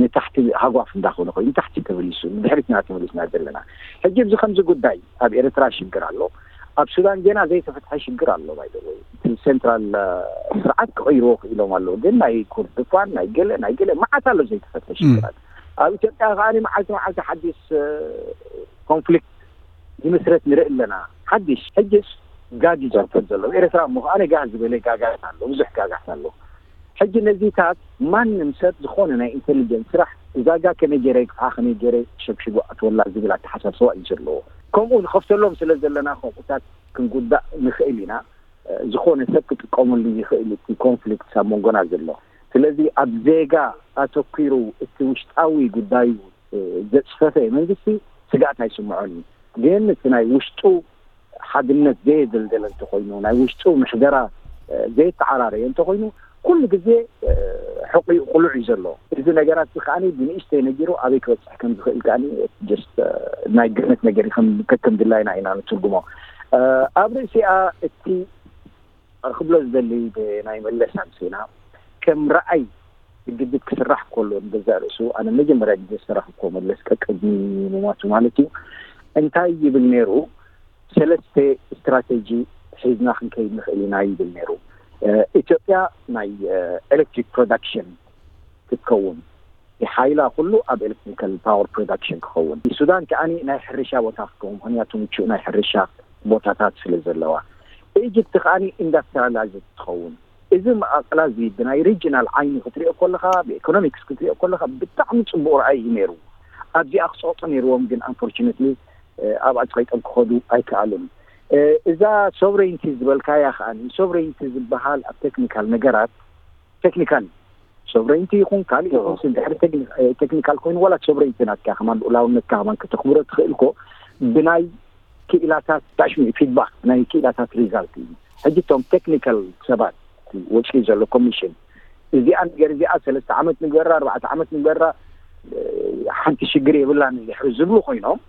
ንታሕቲ ሃጓፍ እንዳኾነ ኮይኑ ንታሕቲ ተመሊሱ፣ ንድሕሪት ኢና ተመሊስና ዘለና። ሕጂ እዚ ከምዚ ጉዳይ ኣብ ኤርትራ ሽግር ኣሎ፣ ኣብ ሱዳን ገና ዘይተፈትሐ ሽግር ኣሎ። ባይዘወይ እቲ ሴንትራል ስርዓት ክቕይርዎ ክኢሎም ኣለዉ፣ ግን ናይ ኮርዶፋን ናይ ገለ ናይ ገለ መዓት ኣሎ ዘይተፈትሐ ሽግራት። ኣብ ኢትዮጵያ ከኣ መዓልቲ መዓልቲ ሓዲስ ኮንፍሊክት ይምስረት ንርኢ ኣለና። ሓድሽ ሕጅስ ጋግ እዩ ዝኽተል ዘሎ ኤርትራ እሞ ከኣ ጋህ ዝበለ ጋጋት ኣሎ፣ ብዙሕ ጋጋት ኣሎ። ሕጂ ነዚታት ማንም ሰብ ዝኾነ ናይ ኢንቴሊጀንስ ስራሕ እዛ ጋግ ከመይ ገይረ ይግፍዓ፣ ከመይ ገይረ ሸብሽቦ ኣትወላ ዝብል ኣተሓሳስባ እዩ ዘለዎ። ከምኡ ንኸፍተሎም ስለ ዘለና ከምኡታት ክንጉዳእ ንኽእል ኢና። ዝኾነ ሰብ ክጥቀመሉ ይኽእል እቲ ኮንፍሊክት ኣብ መንጎና ዘሎ። ስለዚ ኣብ ዜጋ ኣተኪሩ እቲ ውሽጣዊ ጉዳዩ ዘጽፈፈ መንግስቲ ስግኣት ኣይስምዖን እዩ። ግን እቲ ናይ ውሽጡ ሓድነት ዘየደልደለ እንተኾይኑ፣ ናይ ውሽጡ ምሕደራ ዘየተዓራረየ እንተኾይኑ፣ ኩሉ ግዜ ሕቑኡ ቅሉዕ እዩ ዘሎ። እዚ ነገራት እዚ ከኣ ብንእሽተይ ነጊሩ ኣበይ ክበጽሕ ከም ዝኽእል ከኣ ጀስት ናይ ግምት ነገር ከም ከከም ድላይና ኢና ንትርጉሞ። ኣብ ርእሲኣ እቲ ክብሎ ዝደሊ ናይ መለስ ኣምሲና ከም ረኣይ ግድብ ክስራሕ ከሎ ንገዛእ ርእሱ ኣነ መጀመርያ ግዜ ዝሰራሕኩዎ መለስ ቀቅድሚ ምሟቱ ማለት እዩ እንታይ ይብል ነይሩ? ሰለስተ ስትራቴጂ ሒዝና ክንከይድ ንኽእል ኢና ይብል ነይሩ። ኢትዮጵያ ናይ ኤሌክትሪክ ፕሮዳክሽን ክትከውን፣ ሓይላ ኩሉ ኣብ ኤሌክትሪካል ፓወር ፕሮዳክሽን ክኸውን፣ ሱዳን ከኣ ናይ ሕርሻ ቦታ ክትከውን፣ ምኽንያቱ ምቹእ ናይ ሕርሻ ቦታታት ስለ ዘለዋ፣ ኢጅፕት ከኣ ኢንዳስትሪያላይዝ ትኸውን። እዚ መቓቕላ እዚ ብናይ ሪጅናል ዓይኒ ክትሪኦ ከለኻ፣ ብኢኮኖሚክስ ክትሪኦ ከለኻ ብጣዕሚ ጽቡቕ ረኣይ እዩ ነይሩ። ኣብዚኣ ክጸቕጡ ነይርዎም፣ ግን ኣንፎርቹነትሊ ኣብኣ ጸቒጦም ክኸዱ ኣይከኣሉን። እዛ ሶቨሬንቲ ዝበልካያ ከኣ፣ ሶቨሬንቲ ዝበሃል ኣብ ቴክኒካል ነገራት፣ ቴክኒካል ሶቨሬንቲ ይኹን ካልእ ይኹን ድሕሪ ቴክኒካል ኮይኑ ዋላ ሶቨሬንቲ ናትካ ከማን ልኡላውነትካ ከማን ከተኽብሮ ትኽእል እኮ ብናይ ክኢላታት ታሽሚ ፊድባክ ናይ ክኢላታት ሪዛልት እዩ። ሕጂ እቶም ቴክኒካል ሰባት ወፂኡ ዘሎ ኮሚሽን እዚኣ ነገር እዚኣ ሰለስተ ዓመት ንግበራ ኣርባዕተ ዓመት ንግበራ ሓንቲ ሽግር የብላን ድሕሪ ዝብሉ ኮይኖም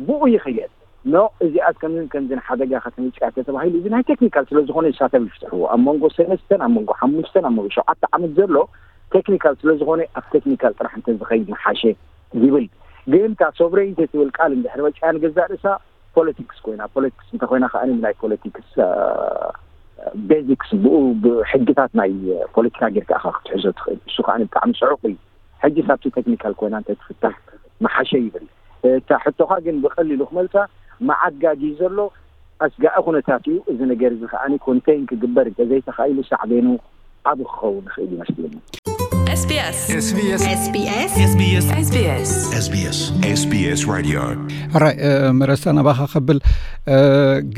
ብኡ ይኽየድ ኖ እዚኣስ ከምዝን ከምዝን ሓደጋ ከተምፅያ ተተባሂሉ እዚ ናይ ቴክኒካል ስለዝኾነ ሳተብ ይፍትሕዎ ኣብ መንጎ ሰለስተን ኣብ መንጎ ሓሙሽተን ኣብ መንጎ ሸውዓተ ዓመት ዘሎ ቴክኒካል ስለዝኾነ ኣብ ቴክኒካል ጥራሕ እንተዝኸይድ ምሓሸ ይብል። ግን እታ ሶቨሬንቲ ትብል ቃል እንድሕር መፅያ ንገዛእ ርእሳ ፖለቲክስ ኮይና ፖለቲክስ እንተኮይና ከዓ ናይ ፖለቲክስ ቤዚክስ ብኡ ብሕግታት ናይ ፖለቲካ ጌርካ ኢኻ ክትሕዞ ትኽእል። እሱ ከዓ ብጣዕሚ ፅዑቕ እዩ። ሕጂ ሳብቲ ቴክኒካል ኮይና እንተትፍታሕ ምሓሸ ይብል። እታ ሕቶኻ ግን ብቐሊሉ ክመልሳ መዓጋጊ ዘሎ ኣስጋኢ ኩነታት እዩ። እዚ ነገር እዚ ከዓ ኮንቴን ክግበር እንተዘይተኻኢሉ ሳዕቤኑ ዓብ ክኸውን ይኽእል ይመስለኒ። SBS SBS SBS SBS SBS SBS SBS Radio ሕራይ መረሳ ናባኻ ከብል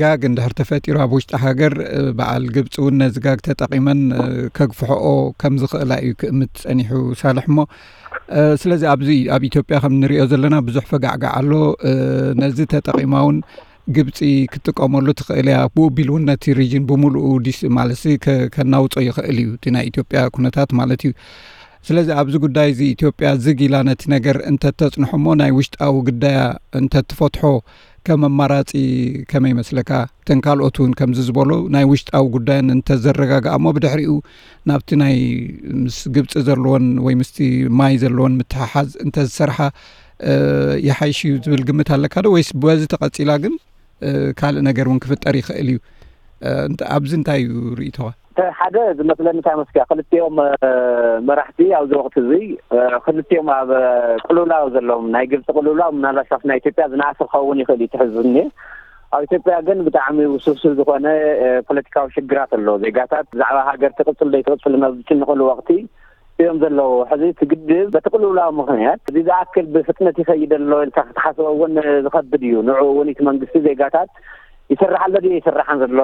ጋግ እንድሕር ተፈጢሩ ኣብ ውሽጢ ሃገር በዓል ግብፂ እውን ነዚ ጋግ ተጠቒመን ከግፍሕኦ ከም ዝኽእላ እዩ ክእምት ፀኒሑ ሳልሕ እሞ ስለዚ ኣብዚ ኣብ ኢትዮጵያ ከም ንሪኦ ዘለና ብዙሕ ፈጋዕጋዕ ኣሎ። ነዚ ተጠቒማ እውን ግብፂ ክትጥቀመሉ ትኽእል እያ። ብኡ ቢል እውን ነቲ ሪጅን ብምሉኡ ዲስ ማለት ከናውፆ ይኽእል እዩ እቲ ናይ ኢትዮጵያ ኩነታት ማለት እዩ። ስለዚ ኣብዚ ጉዳይ እዚ ኢትዮጵያ ዝግ ኢላ ነቲ ነገር እንተተፅንሖ እሞ ናይ ውሽጣዊ ጉዳያ እንተትፈትሖ ከም ኣማራፂ ከመይ ይመስለካ? እተን ካልኦት እውን ከምዚ ዝበሎ ናይ ውሽጣዊ ጉዳየን እንተዘረጋግኣ እሞ ብድሕሪኡ ናብቲ ናይ ምስ ግብፂ ዘለዎን ወይ ምስቲ ማይ ዘለዎን ምትሕሓዝ እንተዝሰርሓ ይሓይሽ እዩ ዝብል ግምት ኣለካ ዶ? ወይስ በዚ ተቐፂላ ግን ካልእ ነገር እውን ክፍጠር ይኽእል እዩ? ኣብዚ እንታይ እዩ ርእይቶኻ? ሓደ ዝመስለኒ እንታይ መስኪያ ክልቲኦም መራሕቲ ኣብዚ ወቅቲ እዚ ክልቲኦም ኣብ ቅልውላው ዘለዎም ናይ ግብፂ ቅልውላው ምናልባት ካብቲ ናይ ኢትዮጵያ ዝነኣሰ ክኸውን ይኽእል እዩ ትሕዝኒ ኣብ ኢትዮጵያ ግን ብጣዕሚ ውስብስብ ዝኾነ ፖለቲካዊ ሽግራት ኣሎ። ዜጋታት ብዛዕባ ሃገር ትቕፅል ዘይትቕፅል ኣብ ዝጭንቕሉ ወቕቲ እዮም ዘለዉ። ሕዚ እቲ ግድብ በቲ ቅልውላው ምኽንያት እዚ ዝኣክል ብፍጥነት ይኸይድ ኣሎ ኢልካ ክትሓስቦ እውን ዝኸብድ እዩ። ንዕኡ እውን እቲ መንግስቲ ዜጋታት ይሰርሕ ኣሎ ድዩ ኣይሰርሕን ዘሎ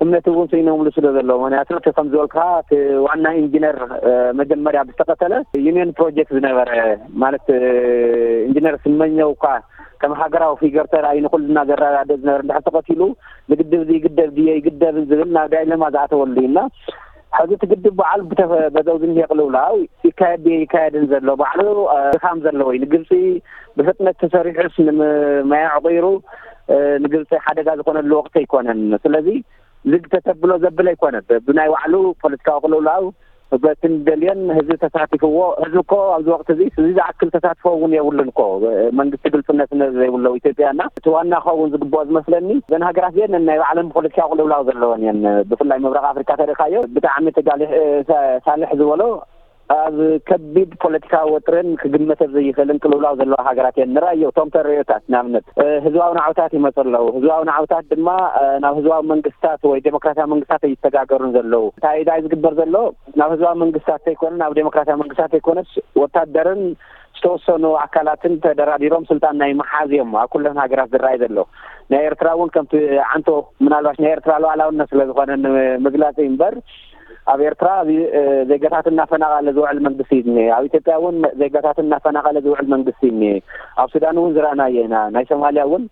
እምነት እውን ስኢኖምሉ ስለ ዘሎ፣ ምኽንያቱ እቲ ከም ዝበልካ እቲ ዋና ኢንጂነር መጀመርያ ብዝተቐተለ ዩኒየን ፕሮጀክት ዝነበረ ማለት ኢንጂነር ስመኘው እኳ ከም ሃገራዊ ፊገር ተራእዩ ንኩልና ዘረዳድእ ዝነበረ እንድሕር ተቐቲሉ ንግድብ እዚ ይግደብ ድየ ይግደብን ዝብል ናብ ዳይለማ ዝኣተወሉ እዩ እና ሕዚ እቲ ግድብ በዓሉ በዚ ዝኒሀ ቅልውላው ይካየድ ድየ ይካየድን ዘሎ ባዕሉ ድኻም ዘለዎ እዩ። ንግብፂ ብፍጥነት ተሰሪሑስ ንማይ ኣዕቂሩ ንግብፂ ሓደጋ ዝኾነሉ ወቅቲ ኣይኮነን። ስለዚ ዝግ ተተብሎ ዘብል ኣይኮነን። ብናይ ባዕሉ ፖለቲካዊ ቅልውላው በቲ ንደልዮን ህዝቢ ተሳቲፍዎ። ህዝቢ እኮ ኣብዚ ወቅቲ እዚ እዚ ዝኣክል ተሳትፎ እውን የብሉን እኮ መንግስቲ ግልፅነት ዘይብሎ ኢትዮጵያ እና እቲ ዋና ክኸውን ዝግብኦ ዝመስለኒ እዘን ሃገራት እዚአን ናይ ባዕለን ፖለቲካዊ ቅልውላው ዘለወን እየን። ብፍላይ ምብራቅ ኣፍሪካ ተሪእካዮ ብጣዕሚ ተጋሊሕ ሳልሕ ዝበሎ ኣብ ከቢድ ፖለቲካዊ ወጥርን ክግመተ ዘይኽእልን ቅልውላው ዘለዋ ሃገራት እየን። ንራዮ እቶም ተርእዮታት ንኣብነት ህዝባዊ ናዕብታት ይመፁ ኣለዉ። ህዝባዊ ናዕብታት ድማ ናብ ህዝባዊ መንግስታት ወይ ዴሞክራሲያዊ መንግስታት ኣይተጋገሩን ዘለዉ። እንታይ እንታይ ዝግበር ዘሎ ናብ ህዝባዊ መንግስታት ዘይኮነ ናብ ዴሞክራሲያዊ መንግስታት ዘይኮነስ ወታደርን ዝተወሰኑ ኣካላትን ተደራዲሮም ስልጣን ናይ መሓዝ እዮም ኣብ ኩለን ሃገራት ዝረኣይ ዘሎ። ናይ ኤርትራ እውን ከምቲ ዓንቶ ምናልባሽ ናይ ኤርትራ ሉዓላውነት ስለ ዝኾነ ንምግላፅ እዩ እምበር ኣብ ኤርትራ ዜጋታት እናፈናቐለ ዝውዕል መንግስቲ እዩ ዝኒሀ። ኣብ ኢትዮጵያ እውን ዜጋታት እናፈናቐለ ዝውዕል መንግስቲ እዩ ዝኒሀ። ኣብ ሱዳን እውን ዝረኣናዮ ኢና። ናይ ሶማልያ እውን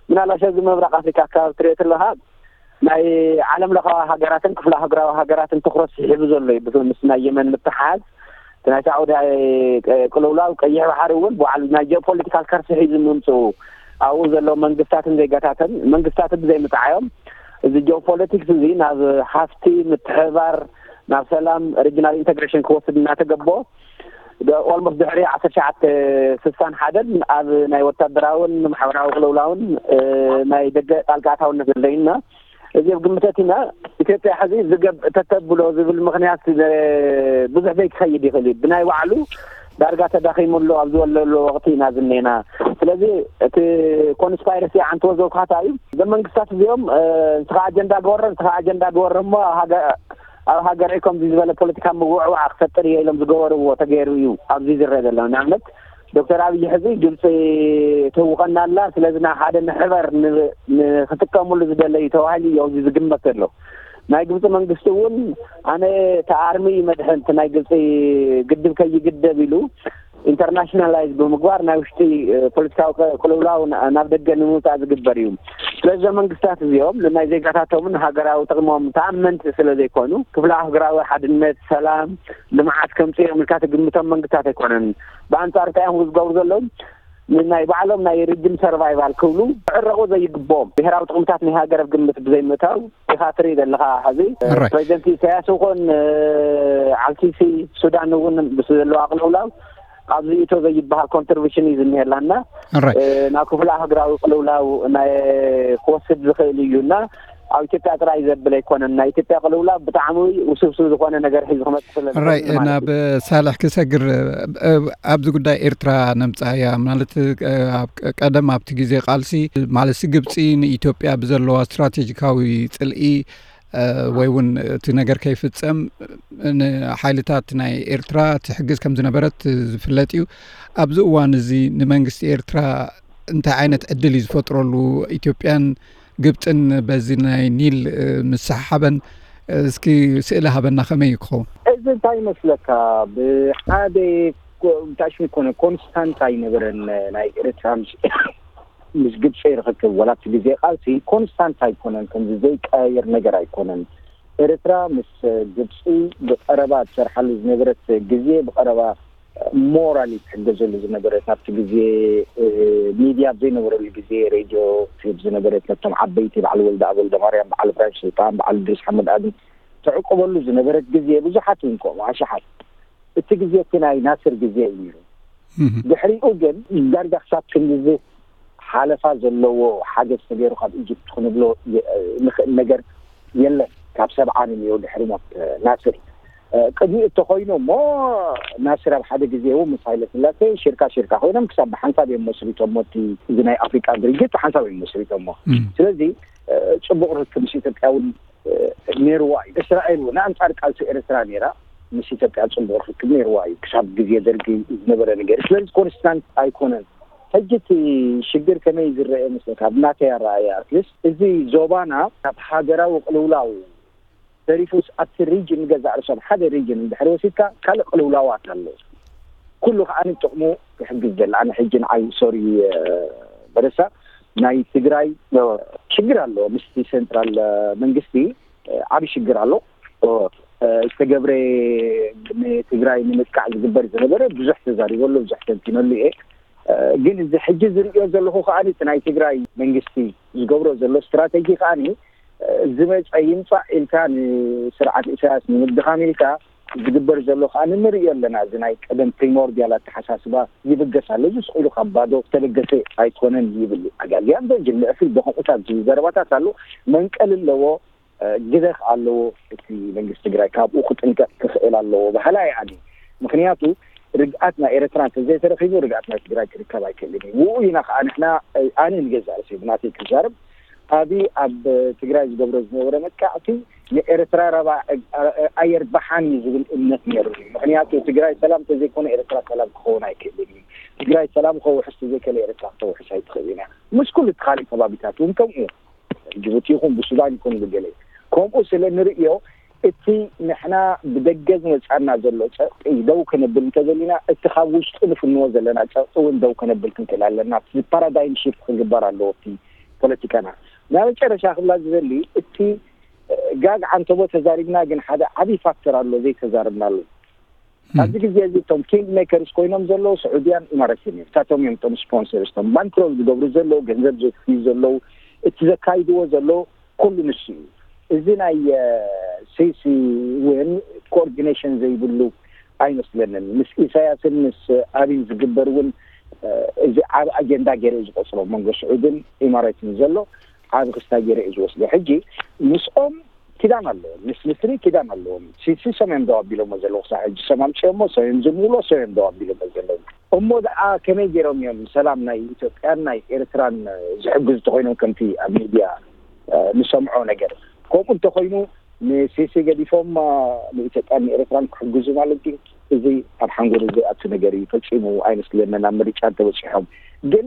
ምናልባሽ ኣብዚ ምብራቕ ኣፍሪካ ኣካባቢ ትሪኦ ተለኻ ናይ ዓለም ለኻዊ ሃገራትን ክፍለ ኣህጉራዊ ሃገራትን ትኩረት ስሒቡ ዘሎ እዩ። ምስ ናይ የመን ምትሓዝ እቲ ናይ ሳዑዲ ቅልውላው ቀይሕ ባሕሪ እውን በዓል ናይ ጂኦፖለቲካል ከርሲ ሒዙ ምምፅኡ ኣብኡ ዘለዉ መንግስታትን ዜጋታትን መንግስታት ብዘይምፅዓዮም እዚ ጂኦፖለቲክስ እዚ ናብ ሃፍቲ ምትሕባር ናብ ሰላም ሪጅናል ኢንተግሬሽን ክወስድ እናተገቦ ኦልሞስት ድሕሪ ዓሰርተ ትሽዓተ ስሳን ሓደን ኣብ ናይ ወታደራውን ማሕበራዊ ቅልውላውን ናይ ደገ ጣልቃ ኣታውነት ዘለዩና እዚ ኣብ ግምተት ኢና ኢትዮጵያ ሕዚ ዝገብ ተተብሎ ዝብል ምክንያት ብዙሕ ዘይክኸይድ ይኽእል እዩ። ብናይ ባዕሉ ዳርጋ ተዳኺሙሉ ኣብ ዝወለሉ ወቅቲ ኢና ዝኔና። ስለዚ እቲ ኮንስፓይረሲ ዓንትዎ ዘውካታ እዩ። እዞም መንግስታት እዚኦም ንስኻ ኣጀንዳ ግበሮ ንስኻ ኣጀንዳ ግበሮ እሞ ኣብ ሃገረይ ከምዚ ዝበለ ፖለቲካ ምውዕዋዕ ክፈጥር እየ ኢሎም ዝገበርዎ ተገይሩ እዩ ኣብዚ ዝረአ ዘሎ። ንኣብነት ዶክተር ኣብይ ሕዚ ግብፂ ትህውኸና ኣላ፣ ስለዚ ናብ ሓደ ንሕበር ንክጥቀምሉ ዝደለዩ ተባሂሉ እዩ ኣብዚ ዝግመት ዘሎ። ናይ ግብፂ መንግስቲ እውን ኣነ ተኣርሚ እዩ መድሕን እቲ ናይ ግብፂ ግድብ ከይግደብ ኢሉ ኢንተርናሽናላይዝ ብምግባር ናይ ውሽጢ ፖለቲካዊ ቅልውላው ናብ ደገ ንምውፃእ ዝግበር እዩ። ስለዚ መንግስታት እዚኦም ንናይ ዜጋታቶምን ሃገራዊ ጥቕሞም ተኣመንቲ ስለ ዘይኮኑ ክፍለ ኣህጉራዊ ሓድነት፣ ሰላም፣ ልምዓት ከምፅኦም ኢልካ ትግምቶም መንግስታት ኣይኮነን። ብኣንፃር እንታይ እዮም ዝገብሩ ዘለዉ? ንናይ ባዕሎም ናይ ሪጅን ሰርቫይቫል ክብሉ ክዕረቑ ዘይግብኦም ብሄራዊ ጥቕምታት ናይ ሃገር ኣብ ግምት ብዘይምእታው ኢኻ ትርኢ ዘለኻ። ሕዚ ፕሬዚደንት ኢሳያስ ይኹን ዓልሲሲ ሱዳን እውን ምስ ዘለዋ ቅልውላው ኣብዚ እቶ ዘይበሃል ኮንትሪቢሽን እዩ ዝኒሀላና ናብ ክፍለ ኣህጉራዊ ቅልውላው ናይ ክወስድ ዝኽእል እዩ እና ኣብ ኢትዮጵያ ጥራይ ዘብል ኣይኮነን። ናይ ኢትዮጵያ ቅልውላው ብጣዕሚ ውስብስብ ዝኾነ ነገር ሒዙ ክመፅእ ስለ ራይ ናብ ሳልሕ ክሰግር ኣብዚ ጉዳይ ኤርትራ ነምፃያ ማለት ቀደም ኣብቲ ግዜ ቃልሲ ማለት ግብፂ ንኢትዮጵያ ብዘለዋ ስትራቴጂካዊ ፅልኢ ወይ እውን እቲ ነገር ከይፍፀም ንሓይልታት ናይ ኤርትራ ትሕግዝ ከም ዝነበረት ዝፍለጥ እዩ። ኣብዚ እዋን እዚ ንመንግስቲ ኤርትራ እንታይ ዓይነት ዕድል እዩ ዝፈጥረሉ? ኢትዮጵያን ግብፅን በዚ ናይ ኒል ምስሓሓበን እስኪ ስእሊ ሃበና ከመይ እዩ ክኸውን? እዚ እንታይ ይመስለካ ብሓደ ብታሽሚ ኮነ ኮንስታንት ኣይነበረን ናይ ኤርትራ ምስ ግብፂ ርኽክብ ዋላ እቲ ግዜ ቃልሲ ኮንስታንት ኣይኮነን፣ ከምዚ ዘይቀያየር ነገር ኣይኮነን። ኤርትራ ምስ ግብፂ ብቐረባ ትሰርሓሉ ዝነበረት ግዜ ብቐረባ ሞራል ትሕገዘሉ ዝነበረት ናብቲ ግዜ ሚድያ ኣብ ዘይነበረሉ ግዜ ሬድዮ ትህብ ዝነበረት ነቶም ዓበይቲ በዓል ወልደ ኣብ ወልደ ማርያም በዓል እብራሂም ስልጣን በዓል ድሪስ ሓመድ ኣድን ተዕቆበሉ ዝነበረት ግዜ ብዙሓት እዮም ከምኡ ኣሽሓት እቲ ግዜ እቲ ናይ ናስር ግዜ እዩ ነይሩ። ድሕሪኡ ግን ዳርጋ ክሳብ ክንድዚ ሓለፋ ዘለዎ ሓገዝ ተገይሩ ካብ ኢጅፕት ክንብሎ ንኽእል ነገር የለን። ካብ ሰብዓ ንንዮ ድሕሪ ሞት ናስር ቅድሚ እተኮይኑ እሞ ናስር ኣብ ሓደ ግዜ እውን ምስ ሃይለ ስላሴ ሽርካ ሽርካ ኮይኖም ክሳብ ብሓንሳብ እዮም መስሪቶሞ። እቲ እዚ ናይ ኣፍሪቃ ድርጅት ብሓንሳብ እዮም መስሪቶሞ። ስለዚ ጽቡቕ ርክብ ምስ ኢትዮጵያ እውን ነይርዋ እዩ። እስራኤል እውን ኣንጻር ቃልሲ ኤርትራ ነይራ፣ ምስ ኢትዮጵያ ጽቡቕ ርክብ ነይርዋ እዩ። ክሳብ ግዜ ደርጊ ዝነበረ ነገር። ስለዚ ኮንስታንት ኣይኮነን። ሕጂ እቲ ሽግር ከመይ ዝረአ መስለካ? ኣብ ናተይ ኣረኣእያ ኣትሊስት እዚ ዞባና ናብ ሃገራዊ ቅልውላው ተሪፉስ ኣብቲ ሪጅን ገዛእ ርእሶም ሓደ ሪጅን እንድሕር ወሲድካ ካልእ ቅልውላዋት ኣሎ። ኩሉ ከዓኒ ጥቕሙ ክሕግዝ ዘለ ኣነ ሕጂ ንዓይ ሶሪ በረሳ ናይ ትግራይ ሽግር ኣሎ ምስቲ ሴንትራል መንግስቲ ዓብዪ ሽግር ኣሎ። ዝተገብረ ንትግራይ ንምጥቃዕ ዝግበር ዝነበረ ብዙሕ ተዛሪበሉ ብዙሕ ተንቲነሉ እየ። ግን እዚ ሕጂ ዝርእዮ ዘለኹ ከዓኒ እቲ ናይ ትግራይ መንግስቲ ዝገብሮ ዘሎ ስትራተጂ ከዓኒ ዝመፀ ይምፃእ ኢልካ ንስርዓት ኢሳያስ ንምድኻም ኢልካ ዝግበር ዘሎ ከዓ ንንርእዮ ኣለና። እዚ ናይ ቀደም ፕሪሞርዲያል ኣተሓሳስባ ይብገስ ኣሎ። እዚ ስቕ ኢሉ ካብ ባዶ ዝተበገሰ ኣይኮነን ይብል ኣጋልያን በጅል ንዕፍል ብኸምኡታት ዝብል ዘረባታት ኣሎ። መንቀል ኣለዎ፣ ግደፍ ኣለዎ። እቲ መንግስቲ ትግራይ ካብኡ ክጥንቀቕ ክኽእል ኣለዎ በሃላ እየ ኣነ። ምክንያቱ ርግኣት ናይ ኤርትራ እንተዘይተረኺቡ ርግኣት ናይ ትግራይ ክርከብ ኣይክእልን እዩ። ውኡ ኢና ከዓ ንሕና ኣነ ንገዛእ ርእሰይ ብናተይ ክዛረብ ኣብይ ኣብ ትግራይ ዝገብሮ ዝነበረ መጥቃዕቲ ንኤርትራ ረባ ኣየርባሓን እዩ ዝብል እምነት ነይሩ እዩ። ምክንያቱ ትግራይ ሰላም ተዘይኮነ ኤርትራ ሰላም ክኸውን ኣይክእልን እዩ። ትግራይ ሰላም ከውሕስ ተዘይከለ ኤርትራ ክተውሕስ ኣይትኽእል ኢና። ምስ ኩሉ እቲ ካልእ ከባቢታት እውን ከምኡ ጅቡቲ ይኹን ብሱዳን ይኹን ብገለ ከምኡ ስለ ንርእዮ እቲ ንሕና ብደገ ዝመጻና ዘሎ ጸቕጢ ደው ከነብል እንተዘሊና እቲ ካብ ውሽጢ ንፍንዎ ዘለና ጸቕጢ እውን ደው ከነብል ክንክእል ኣለና። እዚ ፓራዳይም ሽፍት ክግበር ኣለዎ እቲ ፖለቲካና። ናይ መጨረሻ ክብላ ዝደሊ እቲ ጋግ ዓንተቦ ተዛሪብና ግን ሓደ ዓብዪ ፋክተር ኣሎ ዘይተዛርብናሉ። ኣብዚ ግዜ እዚ እቶም ኪንግ ሜከርስ ኮይኖም ዘለዉ ስዑድያን ኢማራትን እዮም። እሳቶም እዮም እቶም ስፖንሰርስ እቶም ባንክሮል ዝገብሩ ዘለዉ ገንዘብ ዘትዩ ዘለዉ እቲ ዘካይድዎ ዘለዉ ኩሉ ንሱ እዩ። እዚ ናይ ሲሲ እውን ኮኦርዲኔሽን ዘይብሉ ኣይመስለንን። ምስ ኢሳያስን ምስ ኣብይን ዝግበር እውን እዚ ዓብ ኣጀንዳ ገይረ እዩ ዝቆፅሮ መንጎ ስዑድን ኢማራትን ዘሎ ዓብ ክስታ ገይረ እዩ ዝወስዶ። ሕጂ ምስኦም ኪዳን ኣለዎም፣ ምስ ምስሪ ኪዳን ኣለዎም። ሲሲሶም እዮም ደው ኣቢሎሞ ዘለዉ ክሳብ ሕጂ። ሰም ኣምፅኦሞ ሰም እዮም ዝምውሎ ሰም እዮም ደው ኣቢሎሞ ዘለዉ። እሞ ደኣ ከመይ ገይሮም እዮም ሰላም ናይ ኢትዮጵያን ናይ ኤርትራን ዝሕግዙ ተኮይኖም ከምቲ ኣብ ሚድያ ንሰምዖ ነገር? ከምኡ እንተኮይኑ ንሲሲ ገዲፎም ንኢትዮጵያን ንኤርትራን ክሕግዙ ማለት ድዩ? እዚ ኣብ ሓንጎል እዚ ኣቲ ነገር እዩ ፈፂሙ ኣይመስለንን። ኣብ ምርጫ እንተበፂሖም ግን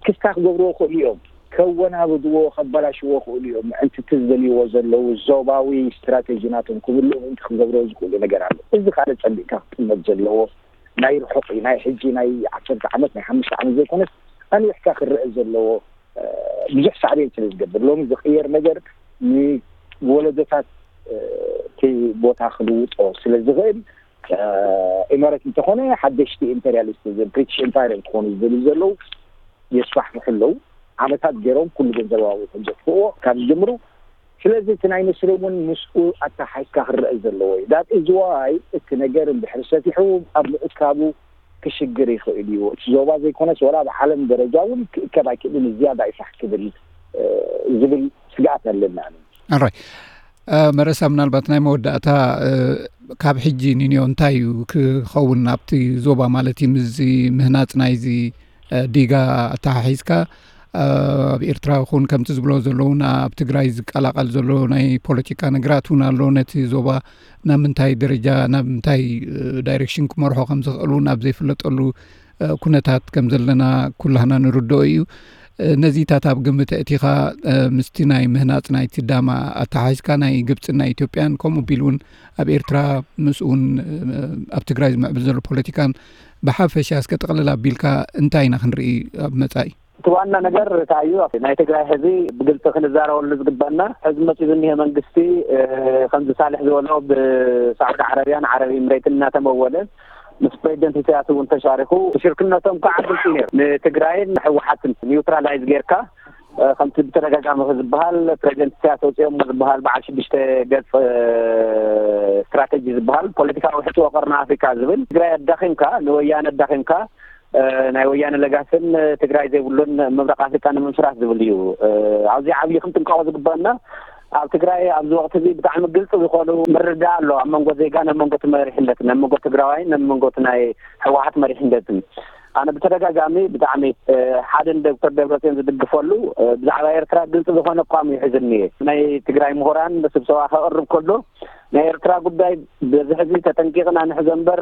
ክስታ ክገብርዎ ክእሉ እዮም። ከወናብድዎ ከበላሽዎ ክእሉ እዮም። ምእንቲ እቲ ዝደልይዎ ዘለዉ ዞባዊ ስትራቴጂ ናቶም ክብልኡ ምእንቲ ክገብርዎ ዝኽእሉ ነገር ኣሎ። እዚ ካልእ ጸቢቕካ ክጥመት ዘለዎ ናይ ርሑቕ እዩ። ናይ ሕጂ ናይ ዓሰርተ ዓመት ናይ ሓሙሽተ ዓመት ዘይኮነስ ኣንዊሕካ ክረአ ዘለዎ ብዙሕ ሳዕቤን ስለ ዝገብር ሎሚ ዝቕየር ነገር ንወለዶታት እቲ ቦታ ክልውጦ ስለ ዝኽእል ኢማራት እንተኾነ ሓደሽቲ ኢምፔሪያሊስት ብሪቲሽ ኢምፓየር እንትኾኑ ዝደልዩ ዘለዉ የስፋሕፍሑ ኣለዉ። ዓመታት ገይሮም ኩሉ ገንዘብ ኣብኡ ከም ዘጥፍእዎ ካብ ዝጅምሩ። ስለዚ እቲ ናይ ምስሪ እውን ምስኡ ኣተሓሒዝካ ክረአ ዘለዎ እዩ። ዳት ኢዝ ዋይ እቲ ነገር እንድሕር ሰፊሑ ኣብ ምእካቡ ክሽግር ይኽእል እዩ። እቲ ዞባ ዘይኮነስ ወላ ኣብ ዓለም ደረጃ እውን ክእከብ ኣይክእልን ዝያዳ ይፋሕ ክብል ዝብል ስግኣት ኣለና። ኣራይ መረሳ ምናልባት ናይ መወዳእታ ካብ ሕጂ ንንዮ እንታይ እዩ ክኸውን ኣብቲ ዞባ ማለት እዩ ምስዚ ምህናፅ ናይዚ ዲጋ ኣተሓሒዝካ ኣብ ኤርትራ ይኹን ከምቲ ዝብሎ ዘለውን ኣብ ትግራይ ዝቀላቀል ዘሎ ናይ ፖለቲካ ነገራት እውን ኣሎ ነቲ ዞባ ናብ ምንታይ ደረጃ ናብ ምንታይ ዳይሬክሽን ክመርሖ ከም ዝኽእል እውን ኣብ ዘይፍለጠሉ ኩነታት ከም ዘለና ኩላህና ንርድኦ እዩ። ነዚታት ኣብ ግምት ኣእቲኻ ምስቲ ናይ ምህናፅ ናይቲ ዳማ ኣተሓሒዝካ ናይ ግብፅን ናይ ኢትዮጵያን ከምኡ ቢል እውን ኣብ ኤርትራ ምስኡ እውን ኣብ ትግራይ ዝምዕብል ዘሎ ፖለቲካን ብሓፈሻ እስከ ጥቕልል ኣቢልካ እንታይ ኢና ክንርኢ ኣብ መፃኢ? እቲ ዋና ነገር እንታይ እዩ? ናይ ትግራይ ህዝቢ ብግልፂ ክንዛረበሉ ዝግባና ሕዚ መፂኡ ዝኒሀ መንግስቲ ከምዚ ሳልሕ ዝበሎ ብሳዑዲ ዓረብያን ዓረብ ኢምሬትን እናተመወለ ምስ ፕሬዚደንት ኢሳያስ እውን ተሻሪኹ ሽርክነቶም ከዓ ግልፂ ነይሩ። ንትግራይን ንሕወሓትን ኒውትራላይዝ ጌርካ ከምቲ ብተደጋጋሚ ዝበሃል ፕሬዚደንት ኢሳያስ ኣውፂኦሞ ዝበሃል በዓል ሽዱሽተ ገፅ ስትራተጂ ዝበሃል ፖለቲካዊ ሕጽቦ ቀርኒ ኣፍሪካ ዝብል ትግራይ ኣዳኺምካ ንወያነ ኣዳኺምካ ናይ ወያነ ለጋስን ትግራይ ዘይብሉን ምብራቅ ኣፍሪካ ንምምስራት ዝብል እዩ። ኣብዚ ዓብዪ ክንጥንቀቆ ዝግበአና ኣብ ትግራይ ኣብዚ ወቅቲ እዚ ብጣዕሚ ግልፂ ዝኾኑ ምርዳእ ኣሎ ኣብ መንጎ ዜጋን ኣብ መንጎ እቲ መሪሕነትን፣ ኣብ መንጎ ትግራዋይን ኣብ መንጎ እቲ ናይ ህወሓት መሪሕነትን። ኣነ ብተደጋጋሚ ብጣዕሚ ሓደ ንዶክተር ደብረፅዮን ዝድግፈሉ ብዛዕባ ኤርትራ ግልፂ ዝኾነ ኣቋም እዩ ሒዙ እኒኤ። ናይ ትግራይ ምሁራን ስብሰባ ከቕርብ ከሎ ናይ ኤርትራ ጉዳይ በዚ ሕዚ ተጠንቂቕና ንሕዘ እምበር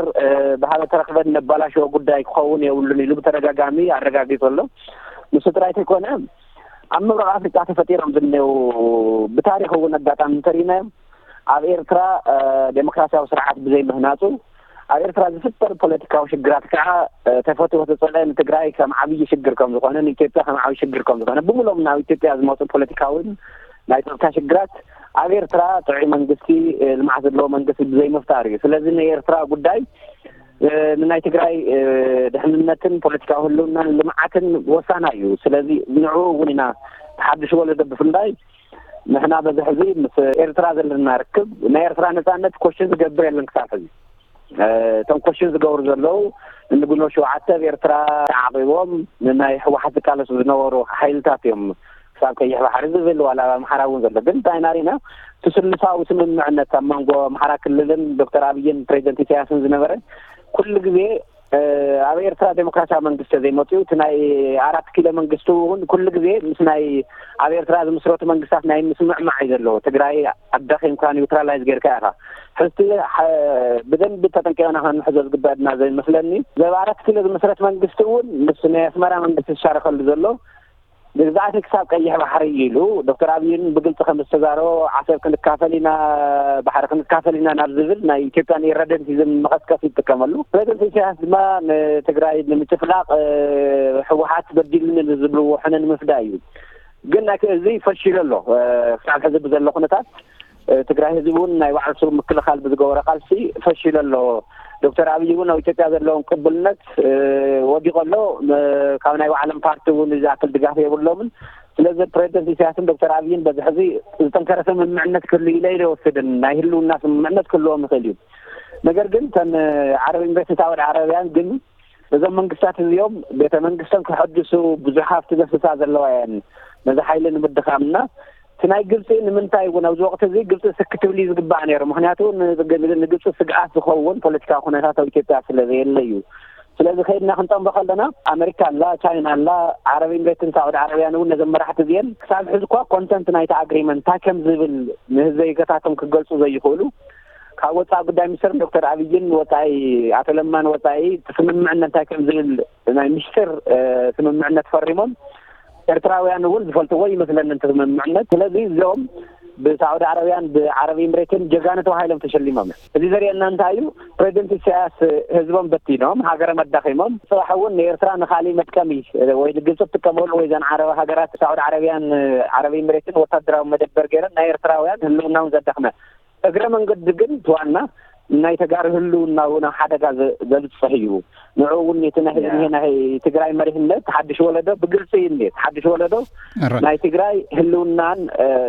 ብሃበ ተረኽበን ነባላሽዎ ጉዳይ ክኸውን የብሉን ኢሉ ብተደጋጋሚ ኣረጋጊፁ ኣሎ። ንሱ ጥራይ ተይኮነ ኣብ ምብራቕ ኣፍሪቃ ተፈጢሮም ዝኔው ብታሪክ እውን ኣጋጣሚ እንተሪእናዮም ኣብ ኤርትራ ዴሞክራሲያዊ ስርዓት ብዘይምህናፁ ኣብ ኤርትራ ዝፍጠር ፖለቲካዊ ሽግራት ከዓ ተፈትዎ ተፀለ ንትግራይ ከም ዓብዪ ሽግር ከም ዝኾነ ንኢትዮጵያ ከም ዓብዪ ሽግር ከም ዝኾነ ብምሎም ናብ ኢትዮጵያ ዝመፁ ፖለቲካውን ናይ ፀጥታ ሽግራት ኣብ ኤርትራ ጥዑይ መንግስቲ ልምዓት ዘለዎ መንግስቲ ብዘይምፍጣር እዩ። ስለዚ ናይ ኤርትራ ጉዳይ ንናይ ትግራይ ድሕንነትን ፖለቲካዊ ህልውናን ልምዓትን ወሳና እዩ። ስለዚ ንዕኡ እውን ኢና ሓድሽ ወለዶ ብፍላይ ንሕና በዚ ሕዚ ምስ ኤርትራ ዘለና ርክብ ናይ ኤርትራ ነፃነት ኮሽን ዝገብር የለን ክሳብ ሕዚ። እቶም ኮሽን ዝገብሩ ዘለዉ ንግንቦት ሸውዓተ ኣብ ኤርትራ ተዓቂቦም ንናይ ህወሓት ዝቃለሱ ዝነበሩ ሓይልታት እዮም። ክሳብ ቀይሕ ባሕሪ ዝብል ዋላ ኣብ ኣምሓራ እውን ዘሎ ግን እንታይ ኢና ሪእና እቲ ስሉሳዊ ስምምዕነት ኣብ መንጎ ኣምሓራ ክልልን ዶክተር ኣብይን ፕሬዚደንት ኢሳያስን ዝነበረ ኩሉ ግዜ ኣብ ኤርትራ ዴሞክራሲያዊ መንግስቲ ዘይመፅኡ እቲ ናይ ኣራት ኪሎ መንግስቲ እውን ኩሉ ግዜ ምስ ናይ ኣብ ኤርትራ ዝምስረቱ መንግስታት ናይ ምስምዕማዕ እዩ ዘለዎ። ትግራይ ኣዳኺምካ ኒውትራላይዝ ጌርካ ኢኻ። ሕዝቲ ብደንቢ ተጠንቂቕና ክንሕዞ ዝግበአና ዘይመስለኒ ዘብ ኣራት ኪሎ ዝምስረት መንግስቲ እውን ምስ ናይ ኣስመራ መንግስቲ ዝሻረከሉ ዘሎ ግዛእቲ ክሳብ ቀይሕ ባሕሪ እዩ ኢሉ ዶክተር ኣብይን ብግልፂ ከም ዝተዛረቦ ዓሰብ ክንካፈል ኢና ባሕሪ ክንካፈል ኢና ናብ ዝብል ናይ ኢትዮጵያን ኢረደንቲዝም መቐስቀሲ ይጥቀመሉ። ፕሬዚደንት ኢሳያስ ድማ ንትግራይ ንምጭፍላቕ ህወሓት በዲሉኒ ዝብልዎ ሕነ ንምፍዳይ እዩ። ግን ናይ እዚ ፈሺሉ ኣሎ። ክሳብ ሕዚ ብዘሎ ኩነታት ትግራይ ህዝቢ እውን ናይ ባዕልሱ ምክልኻል ብዝገበሮ ቃልሲ ፈሺሉ ኣሎ። ዶክተር ኣብይ እውን ኣብ ኢትዮጵያ ዘለዎም ቅቡልነት ወዲቆ ኣሎ። ካብ ናይ ባዕሎም ፓርቲ እውን ዝኣክል ድጋፍ የብሎምን። ስለዚ ፕሬዚደንት ኢሳያስን ዶክተር ኣብይን በዚ ሕዚ ዝጠንከረ ስምምዕነት ክህሉ ኢለ ኢለ ይወስድን ናይ ህልውና ስምምዕነት ክህልዎም ይኽእል እዩ። ነገር ግን ተን ዓረብ ኢምሬትስ ሳውዲ ዓረብያን ግን እዞም መንግስታት እዚኦም ቤተ መንግስተን ክሐድሱ ብዙሕ ሃፍቲ ዘፍሳ ዘለዋ እየን ነዚ ሓይሊ ንምድኻም እና እቲ ናይ ግብፂ ንምንታይ እውን ኣብዚ ወቅቲ እዚ ግብፂ ስክ ትብል እዩ ዝግባእ ነይሩ። ምክንያቱ ንግብፂ ስግኣት ዝኸውን ፖለቲካዊ ኩነታት ኣብ ኢትዮጵያ ስለ ዘየለ እዩ። ስለዚ ከይድና ክንጠንቦ ከለና ኣመሪካ ኣላ፣ ቻይና ኣላ፣ ዓረብ ኢምሬትን ሳዑዲ ዓረብያን እውን ነዘም መራሕቲ እዚአን ክሳብ ሕዚ እኳ ኮንተንት ናይቲ ኣግሪመንት እንታይ ከም ዝብል ንህዝበ ይገታቶም ክገልፁ ዘይኽእሉ ካብ ወፃኢ ጉዳይ ሚኒስትር ዶክተር ኣብይን ወፃኢ ኣቶ ለማን ወፃኢ እቲ ስምምዕነት እንታይ ከም ዝብል ናይ ሚስጥር ስምምዕነት ፈሪሞም ኤርትራውያን እውን ዝፈልጥዎ ይመስለኒ እቲ ስምምዕነት። ስለዚ እዚኦም ብሳዑዲ ዓረብያን ብዓረብ ኢምሬትን ጀጋኑ ተባሂሎም ተሸሊሞም እዮም። እዚ ዘርእየና እንታይ እዩ? ፕሬዚደንት ኢሳያስ ህዝቦም በቲኖም ሃገሮም ኣዳኺሞም ፅባሕ እውን ንኤርትራ ንካሊእ መጥቀሚ ወይ ንግብፂ ትጥቀመሉ ወይ ዘን ዓረብ ሃገራት ሳዑዲ ዓረብያን ዓረብ ኢምሬትን ወታደራዊ መደበር ገይረን ናይ ኤርትራውያን ህልውና እውን ዘዳኽመ እግረ መንገዲ ግን እቲ ዋና ናይ ተጋሩ ህልውና እውን ኣብ ሓደጋ ዘብፅሕ እዩ። ንዑ እውን እቲ ናይ ህዝቢ ናይ ትግራይ መሪሕነት ሓድሽ ወለዶ ብግልፂ እዩ እኒኤ። ሓድሽ ወለዶ ናይ ትግራይ ህልውናን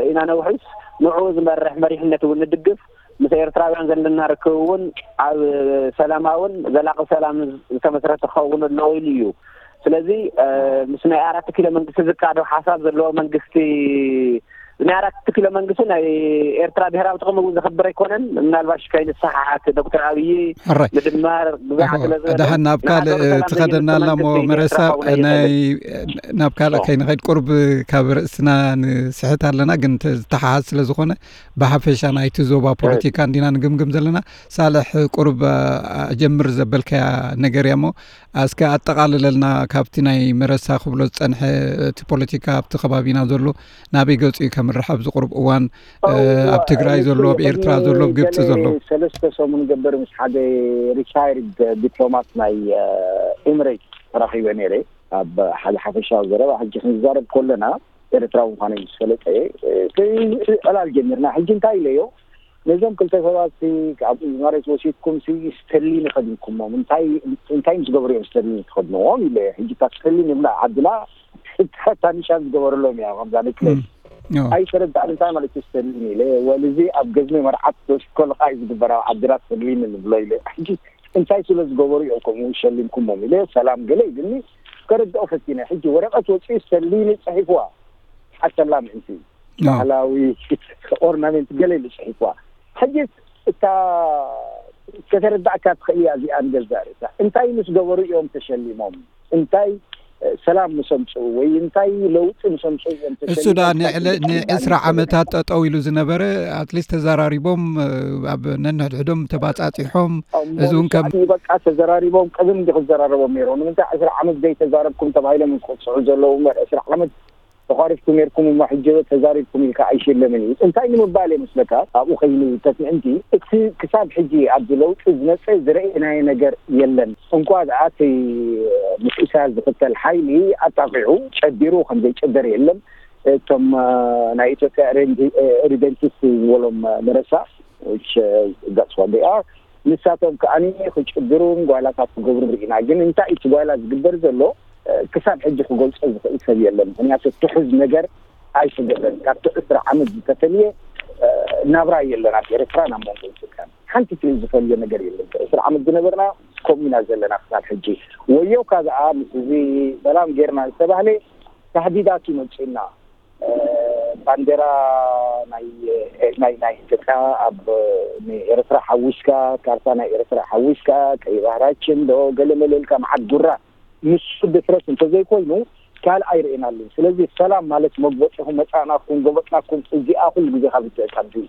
ኢና ነውሕስ ንዑ ዝመርሕ መሪሕነት እውን ንድግፍ። ምስ ኤርትራውያን ዘለና ርክብ እውን ኣብ ሰላማውን ዘላቂ ሰላም ዝተመስረተ ክኸውን ኣለዎ ኢሉ እዩ። ስለዚ ምስ ናይ ኣራት ኪሎ መንግስቲ ዝቃዶ ሓሳብ ዘለዎ መንግስቲ ናይ ኣራት ኪሎ መንግስቲ ናይ ኤርትራ ብሄራዊ ጥቕሚ እውን ዘኽብር ኣይኮነን። ምናልባሽ ከይንሰሓሓት ዶክተር ኣብይ ምድማር ብዛዕባ ስለ ዝበለ ደሓን ናብ ካልእ ትኸደና ኣላ ሞ መረሳ ናይ ናብ ካልእ ከይንኸይድ ቁርብ ካብ ርእስና ንስሕት ኣለና፣ ግን ዝተሓሓዝ ስለ ዝኾነ ብሓፈሻ ናይቲ ዞባ ፖለቲካ እንዲና ንግምግም ዘለና። ሳልሕ ቁርብ ኣጀምር ዘበልካያ ነገር እያ ሞ እስከ ኣጠቓልለልና ካብቲ ናይ መረሳ ክብሎ ዝጸንሐ እቲ ፖለቲካ ኣብቲ ከባቢና ዘሎ ናበይ ገጹ እዩ ከምርሕ ኣብዚ ቁሩብ እዋን ኣብ ትግራይ ዘሎ ኣብ ኤርትራ ዘሎ ኣብ ግብጺ ዘሎ ሰለስተ ሰሙን ገበር ምስ ሓደ ሪታይርድ ዲፕሎማት ናይ ኤምሬት ተራኺበ ነይረ ኣብ ሓደ ሓፈሻዊ ዘረባ ሕጂ ክንዛረብ ከለና ኤርትራዊ ምዃነይ ምስ ፈለጠ ዕላል ጀሚርና ሕጂ እንታይ ኢለዮ ነዞም ክልተ ሰባት ካብ መሬት ወሲድኩም ስተርሊን ይኸድንኩሞም እንታይ እንታይ ምስ ገበሩ እዮም ስተርሊን ትኸድንዎም ኢለ ሕጂ እታ ስተርሊን ይብላ ዓድና ታኒሻ ዝገበረሎም እያ ከምዛ ንክለ ኣይተረዳእን እንታይ ማለት እዩ ስተርሊን ኢለ ወልዚ ኣብ ገዝሚ መርዓት ተወሲድኮ ልቃይ ዝግበር ኣብ ዓድና ስተርሊን ንብሎ ኢለ ሕጂ እንታይ ስለ ዝገበሩ እዮም ከምኡ ሸሊምኩሞም ኢለ ሰላም ገለ ኢልኒ ከረድኦ ፈቲነ ሕጂ ወረቀት ወፂኡ ስተርሊን ፅሒፍዋ ሓሰላ ምእንቲ ባህላዊ ኦርናሜንት ገለ ኢሉ ጽሒፍዋ። ሕጂ እታ ከተረዳእካ ትኽእል እያ እዚኣ ንገዛእ ርእሳ። እንታይ ምስ ገበሩ እዮም ተሸሊሞም? እንታይ ሰላም ምስ ኣምጽኡ ወይ እንታይ ለውጢ ምስ ኣምጽኡ እዮም ተሸሊሞም? እሱ ዳ ንዕስራ ዓመታት ጠጠው ኢሉ ዝነበረ ኣትሊስት ተዘራሪቦም ኣብ ነንሕድሕዶም ተባጻጺሖም። እዚ እውን ከም በቃ ተዘራሪቦም ቅድም እንዲ ክዘራረቦም ነይሮም። ንምንታይ ዕስራ ዓመት ዘይተዛረብኩም ተባሂሎም ዝቕጽዑ ዘለዉ እምበር ዕስራ ዓመት ተቋሪፍኩም ነርኩም እሞ ሕጂ ተዛሪብኩም ኢልካ ኣይሽለምን እዩ። እንታይ ንምባል እየ ምስለካ ኣብኡ ከይኑ ተትምእንቲ እቲ ክሳብ ሕጂ ኣብዚ ለውጢ ዝመፀ ዝረእናዮ ነገር የለን። እንኳ ደኣ እቲ ምስ ኢሳያስ ዝኽተል ሓይሊ ኣጣቂዑ ጨዲሩ ከም ዘይጨደር የለን። እቶም ናይ ኢትዮጵያ ሪደንቲስት ዝበሎም መረሳ ዳስዋደኣ ንሳቶም ከዓኒ ክጭድሩን ጓይላታት ክገብሩ ርኢና። ግን እንታይ እቲ ጓይላ ዝግበር ዘሎ ክሳብ ሕጂ ክገልጾ ዝኽእል ሰብ የለን። ምክንያቱ ትሑዝ ነገር ኣይስገደን። ካብቲ ዕስራ ዓመት ዝተፈልየ ናብራ የለን ኣብ ኤርትራ ናብ መንጎ ኢትዮጵያ ሓንቲ ትልል ዝፈልዮ ነገር የለን። ዕስራ ዓመት ዝነበርና ከምኡ ኢና ዘለና ክሳብ ሕጂ። ወዮካ ደኣ ምስ እዚ ሰላም ጌርና ዝተባህለ ታህዲዳት ይመጽእና። ባንዴራ ናይ ናይ ናይ ኢትዮጵያ ኣብ ኤርትራ ሓዊስካ፣ ካርታ ናይ ኤርትራ ሓዊስካ፣ ቀይ ባህራችን ዶ ገለ መለ ኢልካ መዓት ጉራ። ንሱ ድፍረት እንተዘይኮይኑ ካልእ ኣይርእናሉን። ስለዚ ሰላም ማለት መግበጢኹም መጻእናኩም ገበጥናኩም እዚኣ ኩሉ ግዜ ካብ ርትዕካ ድዩ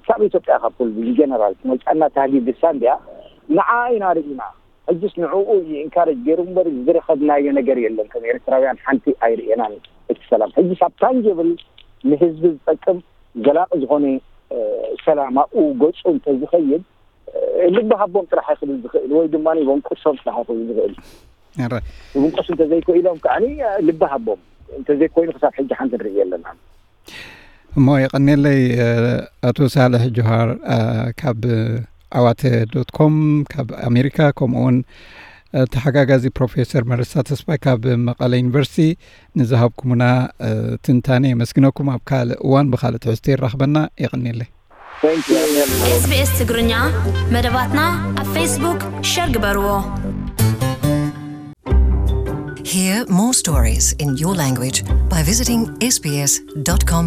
ካብ ኢትዮጵያ ካብ ኩሉ ጀነራል መጻእና ታህዲድ ድሳ እንዲያ ንዓ ኢና ርኢና። ሕጅስ ንዕኡ እዩ ኢንካረጅ ገይሩ እምበር ዝረኸብናዮ ነገር የለን። ከም ኤርትራውያን ሓንቲ ኣይርእናን እቲ ሰላም። ሕጅስ ኣብ ታንጀብል ንህዝቢ ዝጠቅም ዘላቂ ዝኾነ ሰላም ኣብኡ ገፁ እንተዝኸይድ ልቢ ሃቦም ጥራሕ ክብል ዝኽእል ወይ ድማ ይበንቁሶም ጥራሕ ክብል ዝኽእል። ይበንቁሱ እንተዘይክኢሎም ከዓ ልቢ ሃቦም እንተዘይኮይኑ ክሳብ ሕጂ ሓንቲ ንርኢ የለና። እሞ የቐኔለይ ኣቶ ሳልሕ ጆሃር ካብ ዓዋተ ዶት ኮም ካብ ኣሜሪካ፣ ከምኡውን ተሓጋጋዚ ፕሮፌሰር መረሳ ተስፋይ ካብ መቐለ ዩኒቨርሲቲ ንዝሃብኩምና ትንታኔ የመስግነኩም። ኣብ ካልእ እዋን ብኻልእ ትሕዝቶ ይራኽበና። የቐኔለይ። SBS ትግርኛ መደባትና ኣብ ፌስቡክ ሸር ግበርዎ። Hear more stories in your language by visiting sbs.com.au.